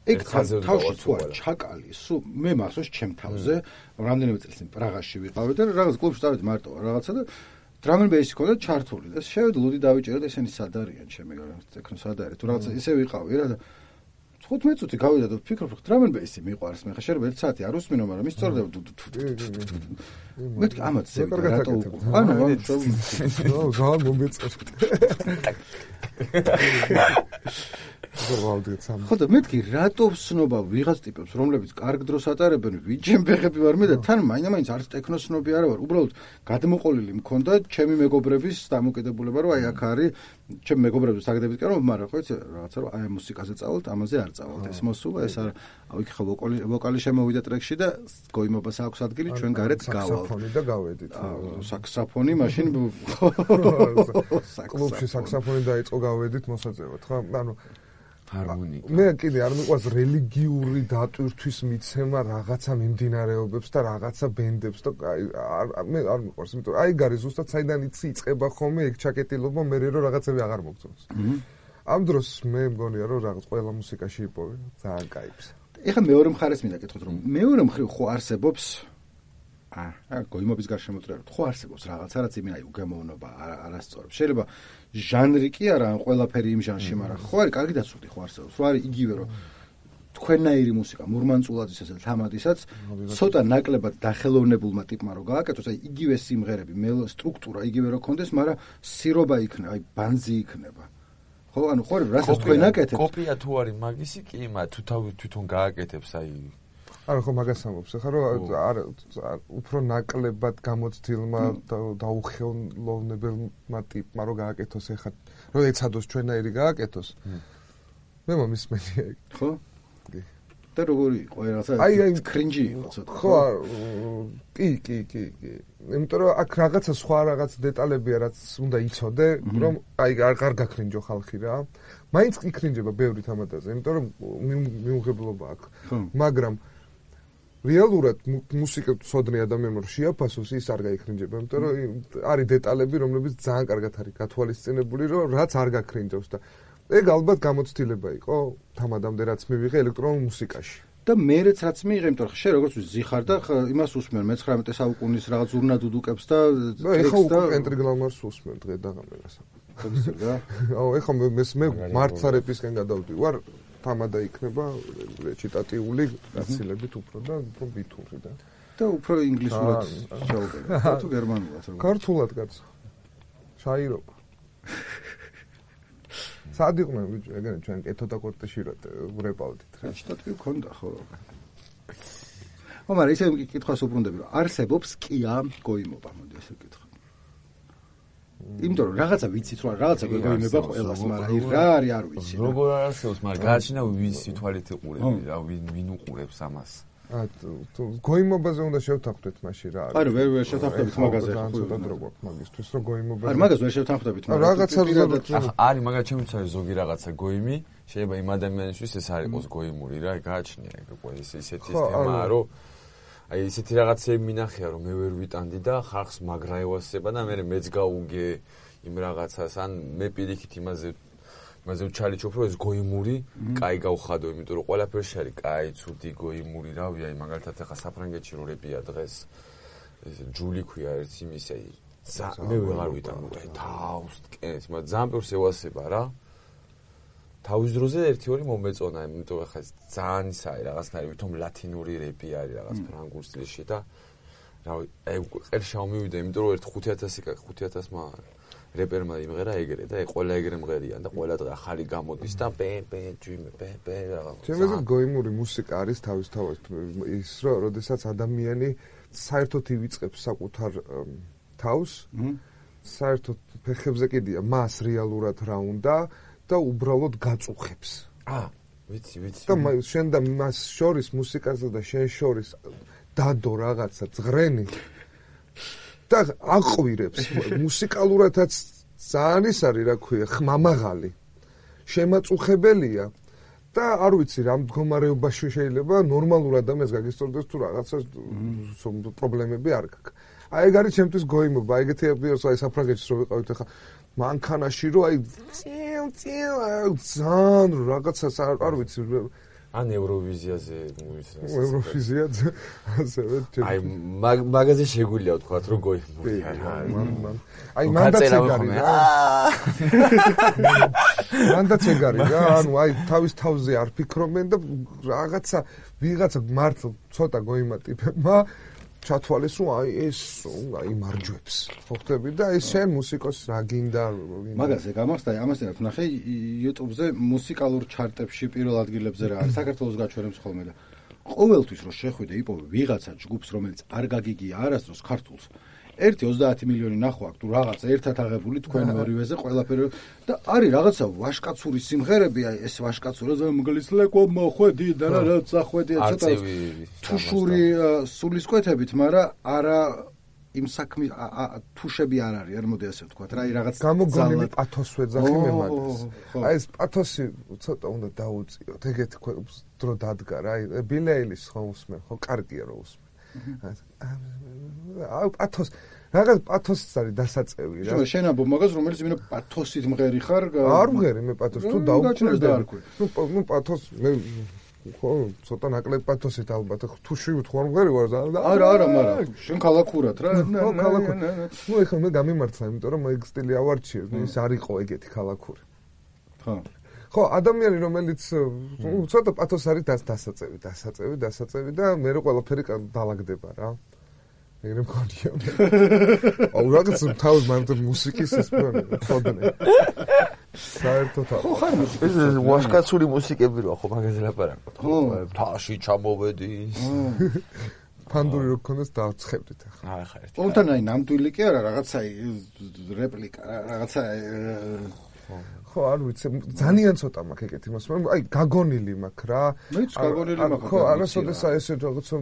ეგ თავში თუ არ ჩაკალი, სულ მე მახსოვს ჩემ თავზე, რამდენიმე წელს წინ პრაღაში ვიყავი და რაღაც კლუბში წავედი მარტო რაღაცა და drum and bass ქონდა ჩართული და შევედი ლუდი დავიჭერე და ესენი სად არიან ჩემი ტექნო სად არის თუ რაღაცა ისე ვიყავი რა და 15 წუთი გავიდა და ვფიქრობ რომ drum and bass-ი მიყვარს მე ხა შეიძლება 1 საათი არ უსმინო მაგრამ ის სწორდება მეთქი ამათ ზევი რატო ანუ ზალ მომეწეს ხო და მეთქი რატო ვსნობა ვიღაც ტიპებს რომლებიც კარგ დროს ატარებენ ვიჯემ ფეხები ვარ მე და თან მაინც არც ტექნოსნობი არა ვარ უბრალოდ გადმოყოლილი მქონდა ჩემი მეგობრების დამოკიდებულება რომ აი აქ არის ჩემი მეგობრების საგდებით კი რომ მაგრამ ხო იცი რაღაცა რომ აი მუსიკაზე წავალთ ამაზე არ წავალთ ეს მოსულა ეს არა აი ხო ვოკალი შემოვიდა ტრეკში და გოიმობას აქვს ადგილი ჩვენ გარეთ გავალთ საქსოფონი და გავედით საქსოფონი მაშინ კლუბში საქსოფონი დაიწყო გავედით მოსაწევად ხო ანუ ჰარმონიკა. მე კიდე არ მიყვარს რელიგიური დატვირთვის მიცემა რაღაცა მიმდინარეობებს და რაღაცა ბენდებს და მე არ მიყვარს, იმიტომ რომ აი გარი ზუსტად საიდან იწყება ხოლმე ეგ ჩაკეტილობა მე რომ რაღაცები აღარ მოგწონს. ამ დროს მე მგონია რომ რაღაც ყველა მუსიკაში იპოვე ძალიან кайფს. ეხლა მეორე მხარეს მინდა კითხოთ რომ მეორე მხრივ ხო არსებობს გოიმობის გარშემოწრება ხო არსებობს რაღაცა რაც იმენ აი უგემოვნობა არასწორებს. შეიძლება ჟანრი კი არა ან ყველაფერი იმ ჟანრში, მაგრამ ხო არის კარგი დაცული ხო არსებობს. რო არის იგივე რომ თქვენნაირი მუსიკა მურმანწულაძისა და თამადისაც ცოტა ნაკლებად დახელოვნებულმა ტიპმა რო გააკეთოს, აი იგივე სიმღერები, სტრუქტურა იგივე რო კონდეს, მაგრამ სირობა იქნება, აი ბანძი იქნება. ხო, ანუ ხო რასაც თქვენ აკეთებთ. კოპია თუ არის მაგისი კი, მაგრამ თუ თავი თვითონ გააკეთებს აი არა ხო მაგას ამბობს ხა რომ უფრო ნაკლებად გამოცდილმა დაუხელოვნებელმა ტიპმა რო გააკეთოს ეხა რომ ეცადოს ჩვენაირი გააკეთოს მე მომისმენია ხო და როგორი იყო რაღაცა კრინჯი იყო ცოტა ხო კი იმიტომ რომ აქ რაღაცა სხვა რაღაც დეტალებია რაც უნდა იცოდე რომ აი არ გაქრინჯო ხალხი რა მაინც იქრინჯება ბევრი თამადაზე იმიტომ რომ მიუღებლობა აქვს მაგრამ რეალურად მუსიკა ცოდნე ადამიანმა რომ შეაფასოს ის არ გაიქრინჯება, იმიტომ რომ არის დეტალები, რომლებიც ძალიან კარგად არის გათვალისწინებული, რომ რაც არ გაქრინჯავს და ეგ ალბათ გამოცდილება იყო თამადამდე რაც მივიღე ელექტრონულ მუსიკაში. და მეც რაც მიიღე, იმიტომ რომ შე როგორც ზიხარ და იმას უსმენ მე-19 საუკუნის რაღაც ურნადუდუკებს და ეხა უკვე პენტრიგლამარს უსმენ დღე და ღამერას. აუ ეხა მე მარტსარეპისკენ გადავდივარ თამადა იქნება რეჩიტატიული გაცილებით უფრო და უფრო ბითური და უფრო ინგლისურად შევუკრება თუ გერმანულად როგორ ქართულად კაცო შაირობა სად იყვნენ ბიჭო ეგრე ჩვენ კეთოდა კორტეში ვრეპავდით რეჩიტატივი ქონდა ხო მაგრამ ისე კითხვას უბრუნდები რომ არსებობს კია გოიმობა მოდი ესე ვკითხო იმიტომ რომ რაღაცა ვიცით რომ რაღაცა გეგოიმება ყველას მაგრამ რა არის არ ვიცი როგორ არსებობს მაგრამ გააჩინა ვის თვალით იყურები რა ვინ უყურებს ამას გოიმობაზე უნდა შევთანხმდეთ მაშინ რა არის არა ვერ შევთანხმდებით მაგაზე ხო ცოტა დრო გვაქვს მაგისთვის რომ გოიმობაზე არა მაგას ვერ შევთანხმდებით მაგრამ რაღაცა არის მაგრამ ჩემთვის არის ზოგი რაღაცა გოიმი შეიძლება იმ ადამიანისთვის ეს არ იყოს გოიმური რა გააჩნია ეგ ყველა ისეთი თემაა რომ აი ისეთი რაღაცები მინახია რომ მე ვერ ვიტანდი და ხალხს მაგრა ევასება და მე მეც გავუგე იმ რაღაცას ან მე პირიქით იმაზე მაზე ჩალიჩო უფრო ეს გოიმური კაი გავხადო, იმიტომ რომ ყველაფერში არის კაი, ცუდი, გოიმური, რავი, აი მაგალითად ახლა საფრანგეთში რო რეპია დღეს ეს ჯული ქვია ერთ იმის, აი მე ვეღარ ვიტანო, თავს კენს, მაგრამ ძალიან ბევრს ევასება რა. თავის დროზე 1-2 მომეწონა, იმიტომ ახლა ძალიან ისაა რაღაცნაირი, ვითომ ლათინური რეპი არის რაღაც ფრანგულ სტილში და რავი, აი ყერშა მივიდა, იმიტომ რომ ერთ 5000-მა რეპერმა იმღერა ეგრე და აი ყველა ეგრე მღერიან და ყველა დღე ახალი გამოდის და პე რაღაც. ჩემზე გოიმური მუსიკა არის თავისთავად ის რომ როდესაც ადამიანი საერთოდ ივიწყებს საკუთარ თავს, საერთოდ ფეხებზე კიდია მას რეალურად რა უნდა და უბრალოდ გაწუხებს. ვიცი. და შენ და მას შორის მუსიკაზე და შენ შორის დადო რაღაცა ზღრენი და აყვირებს მუსიკალურადაც ძალიან ის არის რა ქვია ხმამაღალი შემაწუხებელია და არ ვიცი რა მდგომარეობაში შეიძლება ნორმალურ ადამიანს გაგისტორდეს თუ რაღაცა პრობლემები არ გაქვს. აი ეგ არის ჩემთვის გოიმობა, ეგეთი აი საფრანგეთში რო ვიყავით ახლა მანქანაში რო აი ძალიან რაღაცას არ ვიცი ან ევროვიზიაზე ევროვიზიაზე ასევე აი მაგაზე შეგვიძლია ვთქვათ რომ გოიმურია რა აი მანდაც ეგარი რა ანუ აი თავის თავზე არ ფიქრობენ და რაღაცა ვიღაცა მართლა ცოტა გოიმა ტიპებმა ჩათვალეს რომ აი ეს აი მარჯვებს ხოხტები და ეს შენ მუსიკოს რა გინდა მაგაზე გამახსდა ამასთან ერთად ნახე YouTube-ზე მუსიკალურ ჩარტებში პირველ ადგილებზე რა არის საქართველოს გაჩვენებს ხოლმე და ყოველთვის რომ შეხვიდე იპოვე ვიღაცა ჯგუფს რომელიც არ გაგიგია არასდროს ქართულს 1-30 მილიონი ნახვა აქვს თუ რაღაც ერთად აღებული თქვენ ორივეზე ყველაფერი და არის რაღაცა ვაშკაცური სიმღერები აი ეს ვაშკაცურაზე მგლისლეკო მოხვედი და რაც ახვედი ცოტა თუშური სულისკვეთებით მაგრამ არა იმ საქმის თუშები არ არის არ მოდი ასე ვთქვათ რა აი რაღაც გამოგონილი პათოს ვეძახი მე მაგას აი ეს პათოსი ცოტა უნდა დაუწიოთ ეგეთი დრო დადგა რა აი ბილი აილის ხო უსმენ ხო კარგია რომ უსმენ აი პათოს რაღაც პათოსიც არის დასაწევი რა შენ ამბობ მაგას რომელიც იმენა პათოსით მღერი ხარ არ მღერი მე პათოს თუ დაუჭირდები ნუ პათოს მე ხო ცოტა ნაკლებ პათოსით ალბათ თუ შევთხარ მღერი ვარ არა მაგრამ შენ ქალაქურად რა ხო ქალაქურად ნუ ეხლა მე გამიმართლა იმიტომ რომ ეგ სტილი ავარჩიე ის არ იყო ეგეთი ქალაქური ხო ადამიანი რომელიც ცოტა პათოს არის დასაწევი და მე რო ყველაფერი დაალაგდება რა ეგრე მქონია აუ რაღაც თავის მარტო მუსიკის ეს პროდნე საერთოდ ხო ხარ ეს ვაშკაცური მუსიკები რა ხო მაგაზე ლაპარაკობ ხო თაში ჩამოვედი ფანდური რო ქონდეს დავცხებდით ახლა ახლა ერთი პონტან აი ნამდვილი კი არა რაღაცა რეპლიკა რაღაცა ხო არ ვიცი ძალიან ცოტა მაქვს ეგეთი მოსმა აი გაგონილი მაქვს რა მეც გაგონილი მაქვს ხო არასოდეს აი ესე რაღაცა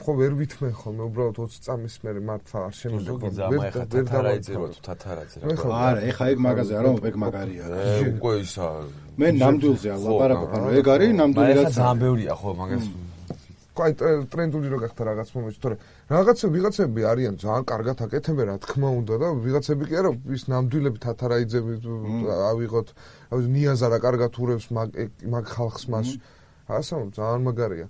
ხო ვერ ვითმენ ხოლმე უბრალოდ 20 წამის მერე მართლა არ შემიძლია ვერ დავაიწერო თუ თათარაძე რა არა ეხა ეგ მაგაზე არა ეგ მაგარია უკვე ისა მე ნამდვილზე ლაპარაკობ ანუ ეგ არის ნამდვილი რაც ძალიან ბევრია ხო მაგას აი ტრენდული რო გახდა რაღაც მომენტში თორე ვიღაცები არიან ძალიან კარგად აკეთებენ რა თქმა უნდა და ვიღაცები კი არა ის ნამდვილები თათარაიძები ავიღოთ ნიაზა რა კარგად ურევს მაგ ხალხს მას ასე ძალიან მაგარია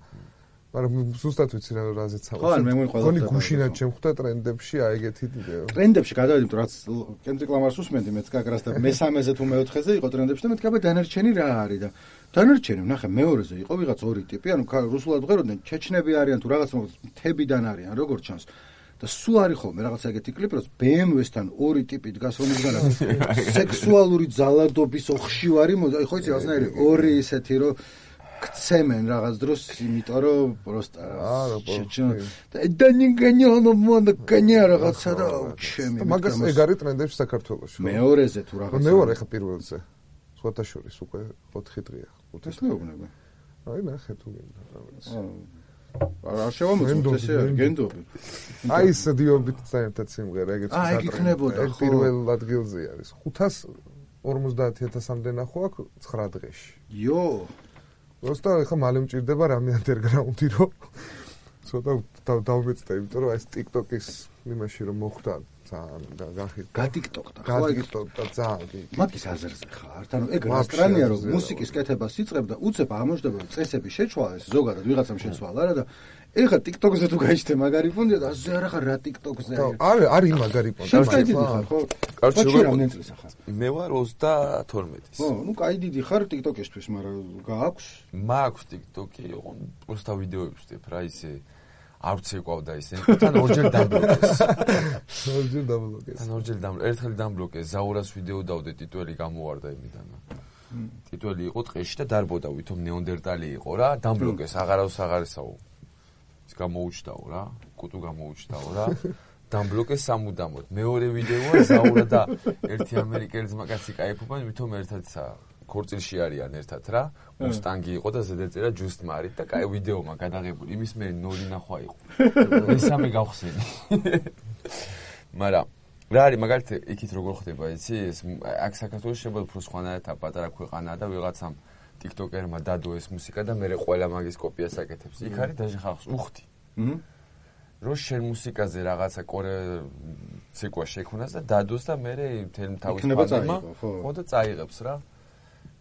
მაგრამ ზუსტად ვიცი რა რაზეც ხო მე მგონი გუშინად შემხვდა ტრენდებში აი ეგეთი ტრენდებში გადავედი თუ რაც კენდრიკ ლამარს უსმენდი მეც კაკრას და მესამეზე თუ მეოთხეზე იყო ტრენდებში და მეთქაბა დანარჩენი რა არის და დანარჩენი ნახე მეორეზე იყო ვიღაც ორი ტიპი ანუ რუსულად ვღეროდნენ ჩეჩნები არიან თუ რაღაც თებიდან არიან როგორც ჩანს და სულ არის ხოლმე რაღაცა ეგეთი კლიპი რომ BMW-სთან ორი ტიპი დგას რომისგანაც სექსუალური ძალადობის ოხშივარი აი ხო იცი რაღაცნაირი ორი ისეთი რომ ქცემენ რაღაც დროს იმიტომ რომ პროსტა და დანიგანიო მონდა კანია რაღაცა და ჩემი მაგას ეგ არის ტრენდებში საქართველოში მეორეზე თუ რაღაცა მე ვარ ეხა პირველზე სხვათა შორის უკვე 4 დღეა 5 ეს მეუბნება აი ნახე თუ გინდა რაღაც არ შევამოწმოთ ესე არის გენდობი აი ეს დიობით საერთოდ სიმღერა ეგეც ეგ იქნებოდა ხო პირველ ადგილზე არის 550,000-მდე ნახო აქ 9 დღეში იო просто ეხა მალე მჭირდება რამე ანდერგრაუნდი რომ ცოტა დავმეწდა, იმიტომ რომ ეს TikTok-ის იმაში რომ მოხდა ძალიან გახით. გატიკტოკდა. გატიკტოკდა ძალიან. მაგის აზერზე ხარ. ანუ ეგ რასტრანია რომ მუსიკის კეთებას იწყებ და უცებ აღმოჩნდება რომ წესები შეცვალეს, ზოგადად ვიღაცამ შეცვალა რა და ეხლა TikTok-ზე თუ გაიჩნდე მაგარი პონტი და ასე არა ხარ რა TikTok-ზე. არის მაგარი პონტი. შენ კაი დიდი ხარ, ხო? კარჩი რამდენი წელს ხარ? მე ვარ 32-ის. ხო, ნუ კაი დიდი ხარ TikTok-ისთვის, მაგრამ გააქვს? მაქვს TikTok-ი, ოღონდ პროსტა ვიდეოებს ვსტებ რა ისე არ ვცეკვავდა ისე. თან ორჯერ დამბლოკეს. ერთხელ დამბლოკეს, ზაურას ვიდეო დავდე, ტიტველი გამოვარდა იმიდან. ტიტველი იყო ტყეში და დარბოდა, ვითომ ნეონდერტალი იყო რა, დამბლოკეს, აღარავს აღარესაო. ის გამოუჩდაო რა, კუტუ გამოუჩდაო რა. დამბლოკეს სამუდამოდ. მეორე ვიდეოა ზაურა და ერთი ამერიკელი ძმაკაცი кайფობენ, ვითომ ერთადსა ქორწილში არიან ერთად რა. მუსტანგი იყო და ზედაწერა just married და კაი ვიდეომა გადაღებული. იმის მე ნორი ნახვა იყო. მესამე გავხსენი. მაგრამ რა არის მაგალითად იქით როგორ ხდება იცი? აქ საქართველოს შეიძლება უფრო სხვანაირად პატარა ქვეყანაა და ვიღაცამ TikToker-მა დადო ეს მუსიკა და მე ყველა მაგის კოპიას აკეთებს. იქ არის დაჟე ხალხს უხდი. რომ შენ მუსიკაზე რაღაცა ცეკვა შექმნას და დადოს და მე მთელი თავის პანემა ხო და წაიღებს რა.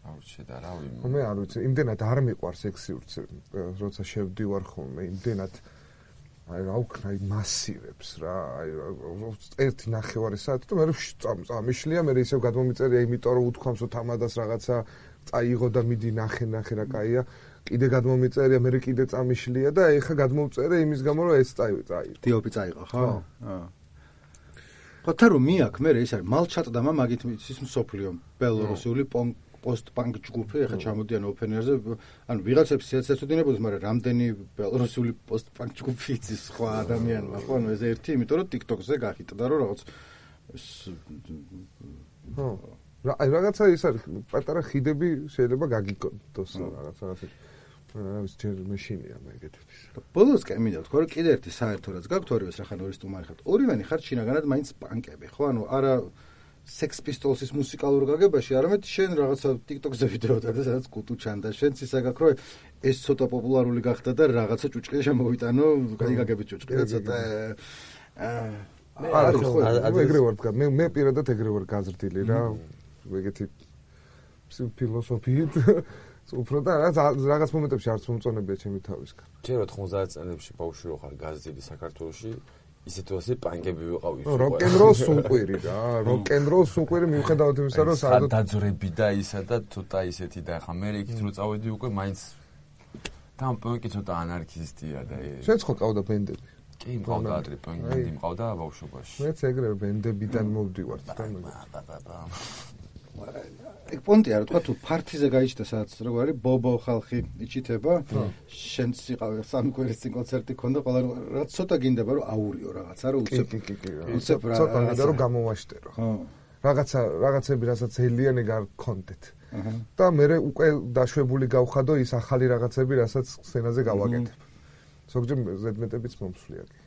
აუჩი და რა ვიმ. მე არ ვიცი, იმდენად არ მიყვარს ექსიურც, როცა შევდივარ ხოლმე, იმდენად აი რა ვქნა მასივებს რა, აი ერთი ნახევარი საათი და მე წამიშლია, მე ისევ გადმომიწერია, იმიტომ რომ უთქვამს რომ თამადას რაღაცა წაიღო და მიდი ნახე რა კაია, კიდე გადმომიწერია, მე კიდე წამიშლია და ეხა გადმოვწერე იმის გამო რომ ეს წაიღო. დიოპი წაიღო, ხო? ხო, რომ მიაქ მე ეს არის მალჩატდამა მაგით ის მსოფლიო ბელორუსული post-punk ჯგუფი, ეხა ჩამოდიან ოფენერზე, ანუ ვიღაცებს ეცეცოდინებოდეს, მაგრამ რამდენი ბელორუსული post-punk ჯგუფი იცის სხვა ადამიანმა, ხო? ანუ ეს ერთი, იმიტომ რომ TikTok-ზე გახიტდა რომ რაღაც ხო. რაღაცა ის არის, პატარა ხიდები შეიძლება გაგიკონდოს რაღაცა. ის ჯერ მეშინია მე ეგეთების. ბოლოს კი მინდა თქვა რომ კიდე ერთი საერთო რაც გაქვთ ორივეს რა ხან ორი სტუმარი ხართ. ორივენი ხართ შინაგანად მაინც პანკები, ხო? ანუ არა Sex Pistols-ის მუსიკალურ გაგებაში, არამედ შენ რაღაცა TikTok-ზე ვიდეო და სადაც კუტუ ჩანდა. შენც ისა გაქვს რომ ეს ცოტა პოპულარული გახდა და რაღაცა ჭუჭყი შემოვიტანო, გაგებით ჭუჭყი და ცოტა არა ხო, ეგრე ვარ თქვა. მე პირადად ეგრე ვარ გაზრდილი რა. ეგეთი ფილოსოფიით უფრო და რაღაც მომენტებში არც მომწონებია ჩემი თავისგან. ჯერ 90 წლებში ბავშვი რო ხარ გაზრდილი საქართველოში ისეთ ასე პანკები ვიყავი. როკ-ენ-როლს უყვირი რა, როკ-ენ-როლს უყვირი მიუხედავად იმისა, რომ საერთოდ დაძვრები და ისა და ცოტა ისეთი და ხა მე იქით რო წავედი უკვე მაინც თან პანკი ცოტა ანარქისტია და შენც ხო ყავდა ბენდები? კი, მყავდა ადრე ბენდები, მყავდა ბავშვობაში. მეც ეგრე ბენდებიდან მოვდივარ და ეგ პონტია რა თქვა თუ ფართიზე გაიჩნდა სადაც როგორ არის ბობო ხალხი იჩითება შენც იყავი სამი კვირის წინ კონცერტი ქონდა ყველა რაც ცოტა გინდება რომ აურიო რაღაცა რომ უცებ რა ცოტა რომ გამოვაშტერო რაღაცები რასაც ელიანე გქონდეთ და მე უკვე დაშვებული გავხადო ის ახალი რაღაცები რასაც სცენაზე გავაკეთებ ზოგჯერ ზედმეტებიც მომსვლია კი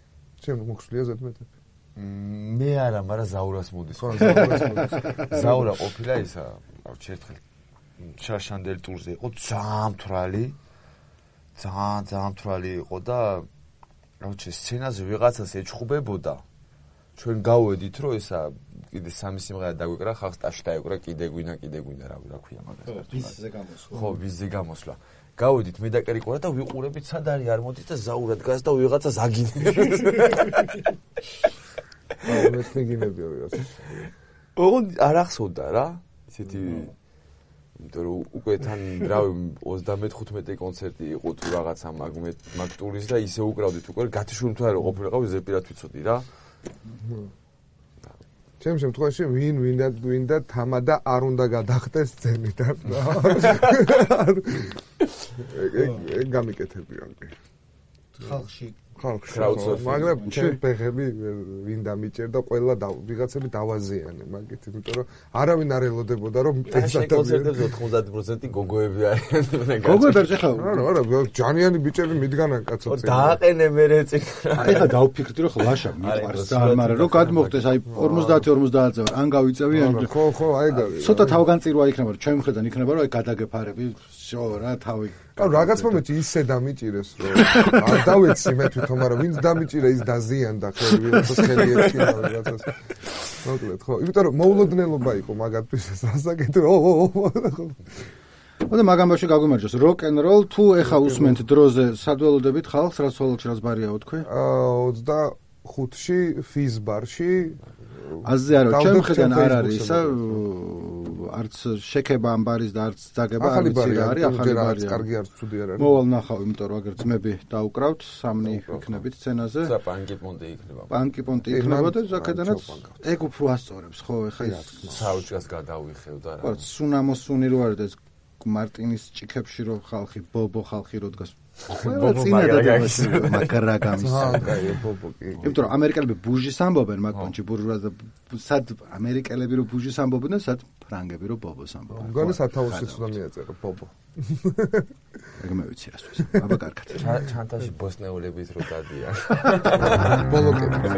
შენ მოხსვლია ზედმეტები მე არა, მაგრამ ზაურას მოდის. ზაურა ყოფილა ისა, ავჩი ერთხელ შაშანდელ ტურზე იყო, ძალიან მთვრალი იყო და ავჩი სცენაზე ვიღაცას ეჩხუბებოდა. ჩვენ გავედით, რომ ისა კიდე სამი სიმღერა დაგვიკრა, ხალხს ტაში დაეკრა, კიდე გვინა, რა ქვია მაგას. ვიზზე გამოსვლა. ხო, ვიზზე გამოსვლა. გავედით მე და კერიკორა და ვიყურებით სად არის არ მოდის და ზაურა დგას და ვიღაცას აგინებს. მე თქინებია ვიღაცა. ოღონდ არ ახსოვდა რა. ისეთი იმიტომ რომ უკვე თან რავი 35 კონცერტი იყო თუ რაღაცა მაგ ტურის და ისე უკრავდით უკვე გათიშული თუ არა ყოფილიყავი ზეპირად ვიცოდი რა. ჩემ შემთხვევაში ვინდა თამადა არ უნდა გადახდეს სცენიდან რა. ეგ გამიკეთებიან კი. ხალხში მაგრამ ჩემ ფეხები ვინ დამიჭერდა ყველა ვიღაცები დავაზიანე მაგით იმიტომ რომ არავინ არ ელოდებოდა რომ ეს კონცერტებზე 90% გოგოები არიან გოგო და ხა არა ჯანიანი ბიჭები მიდგანან კაცო წინ დააყენე მე რეწი ეხა დავფიქრდი რომ ლაშა მიყვარს და მაგრამ რომ გადმოხდეს აი 50-50-ზე ვარ ან გავიწევი ან ხო აი ცოტა თავგანწირვა იქნება რომ ჩემი მხრიდან იქნება რომ აი გადაგეფარები შო რა თავი. ანუ რაღაც მომენტში ისე დამიჭირეს რომ არ დავეცი მე თვითონ, მაგრამ ვინც დამიჭირა ის დაზიანდა ხელი ვიღაცას ხელი ეჩქინა რაღაცას. მოკლედ ხო, იმიტომ რომ მოულოდნელობა იყო მაგათთვის სასაკეთო. და მაგამბაში გაგვიმარჯოს როკ-ენ-როლ თუ ეხა უსმენთ დროზე სადველოდებით ხალხს რა სოლოჩი რას ბარიაო თქვი? 25-ში ფიზ ბარში აზზე არა, ჩემ ხედან არ არის ისა არც შექება ამ ბარის და არც ძაგება არ ვიცი რა არის, ახალი ბარია. კარგი არც ცუდი არ არის. მოვალ ნახავ, იმიტომ რომ აგერ ძმები დაუკრავთ, სამნი იქნებით სცენაზე. და პანკი პონტი იქნება. პანკი პონტი იქნება და ზაკედანაც ეგ უფრო ასწორებს, ხო, ეხა ის საუჭას გადავიხევ და რა. ხო, სუნამოსუნი რო არის და ეს მარტინის ჭიქებში რო ხალხი, ბობო ხალხი რო დგას. მაგარა გამის. კაი, ბობო კი. იმიტომ რომ ამერიკელები ბუჟის ამბობენ მაგ პონჩი ბურჟუაზია სად ამერიკელები რო ბუჟის ამბობენ და სად ფრანგები რო ბობოს ამბობენ. მგონი სათავეშიც უნდა მიაწერო ბობო. ეგ მე ვიცი რას ვიზ. აბა კარგად. ჩანთაში ბოსნეულებით რო დადიან. ბოლოკები.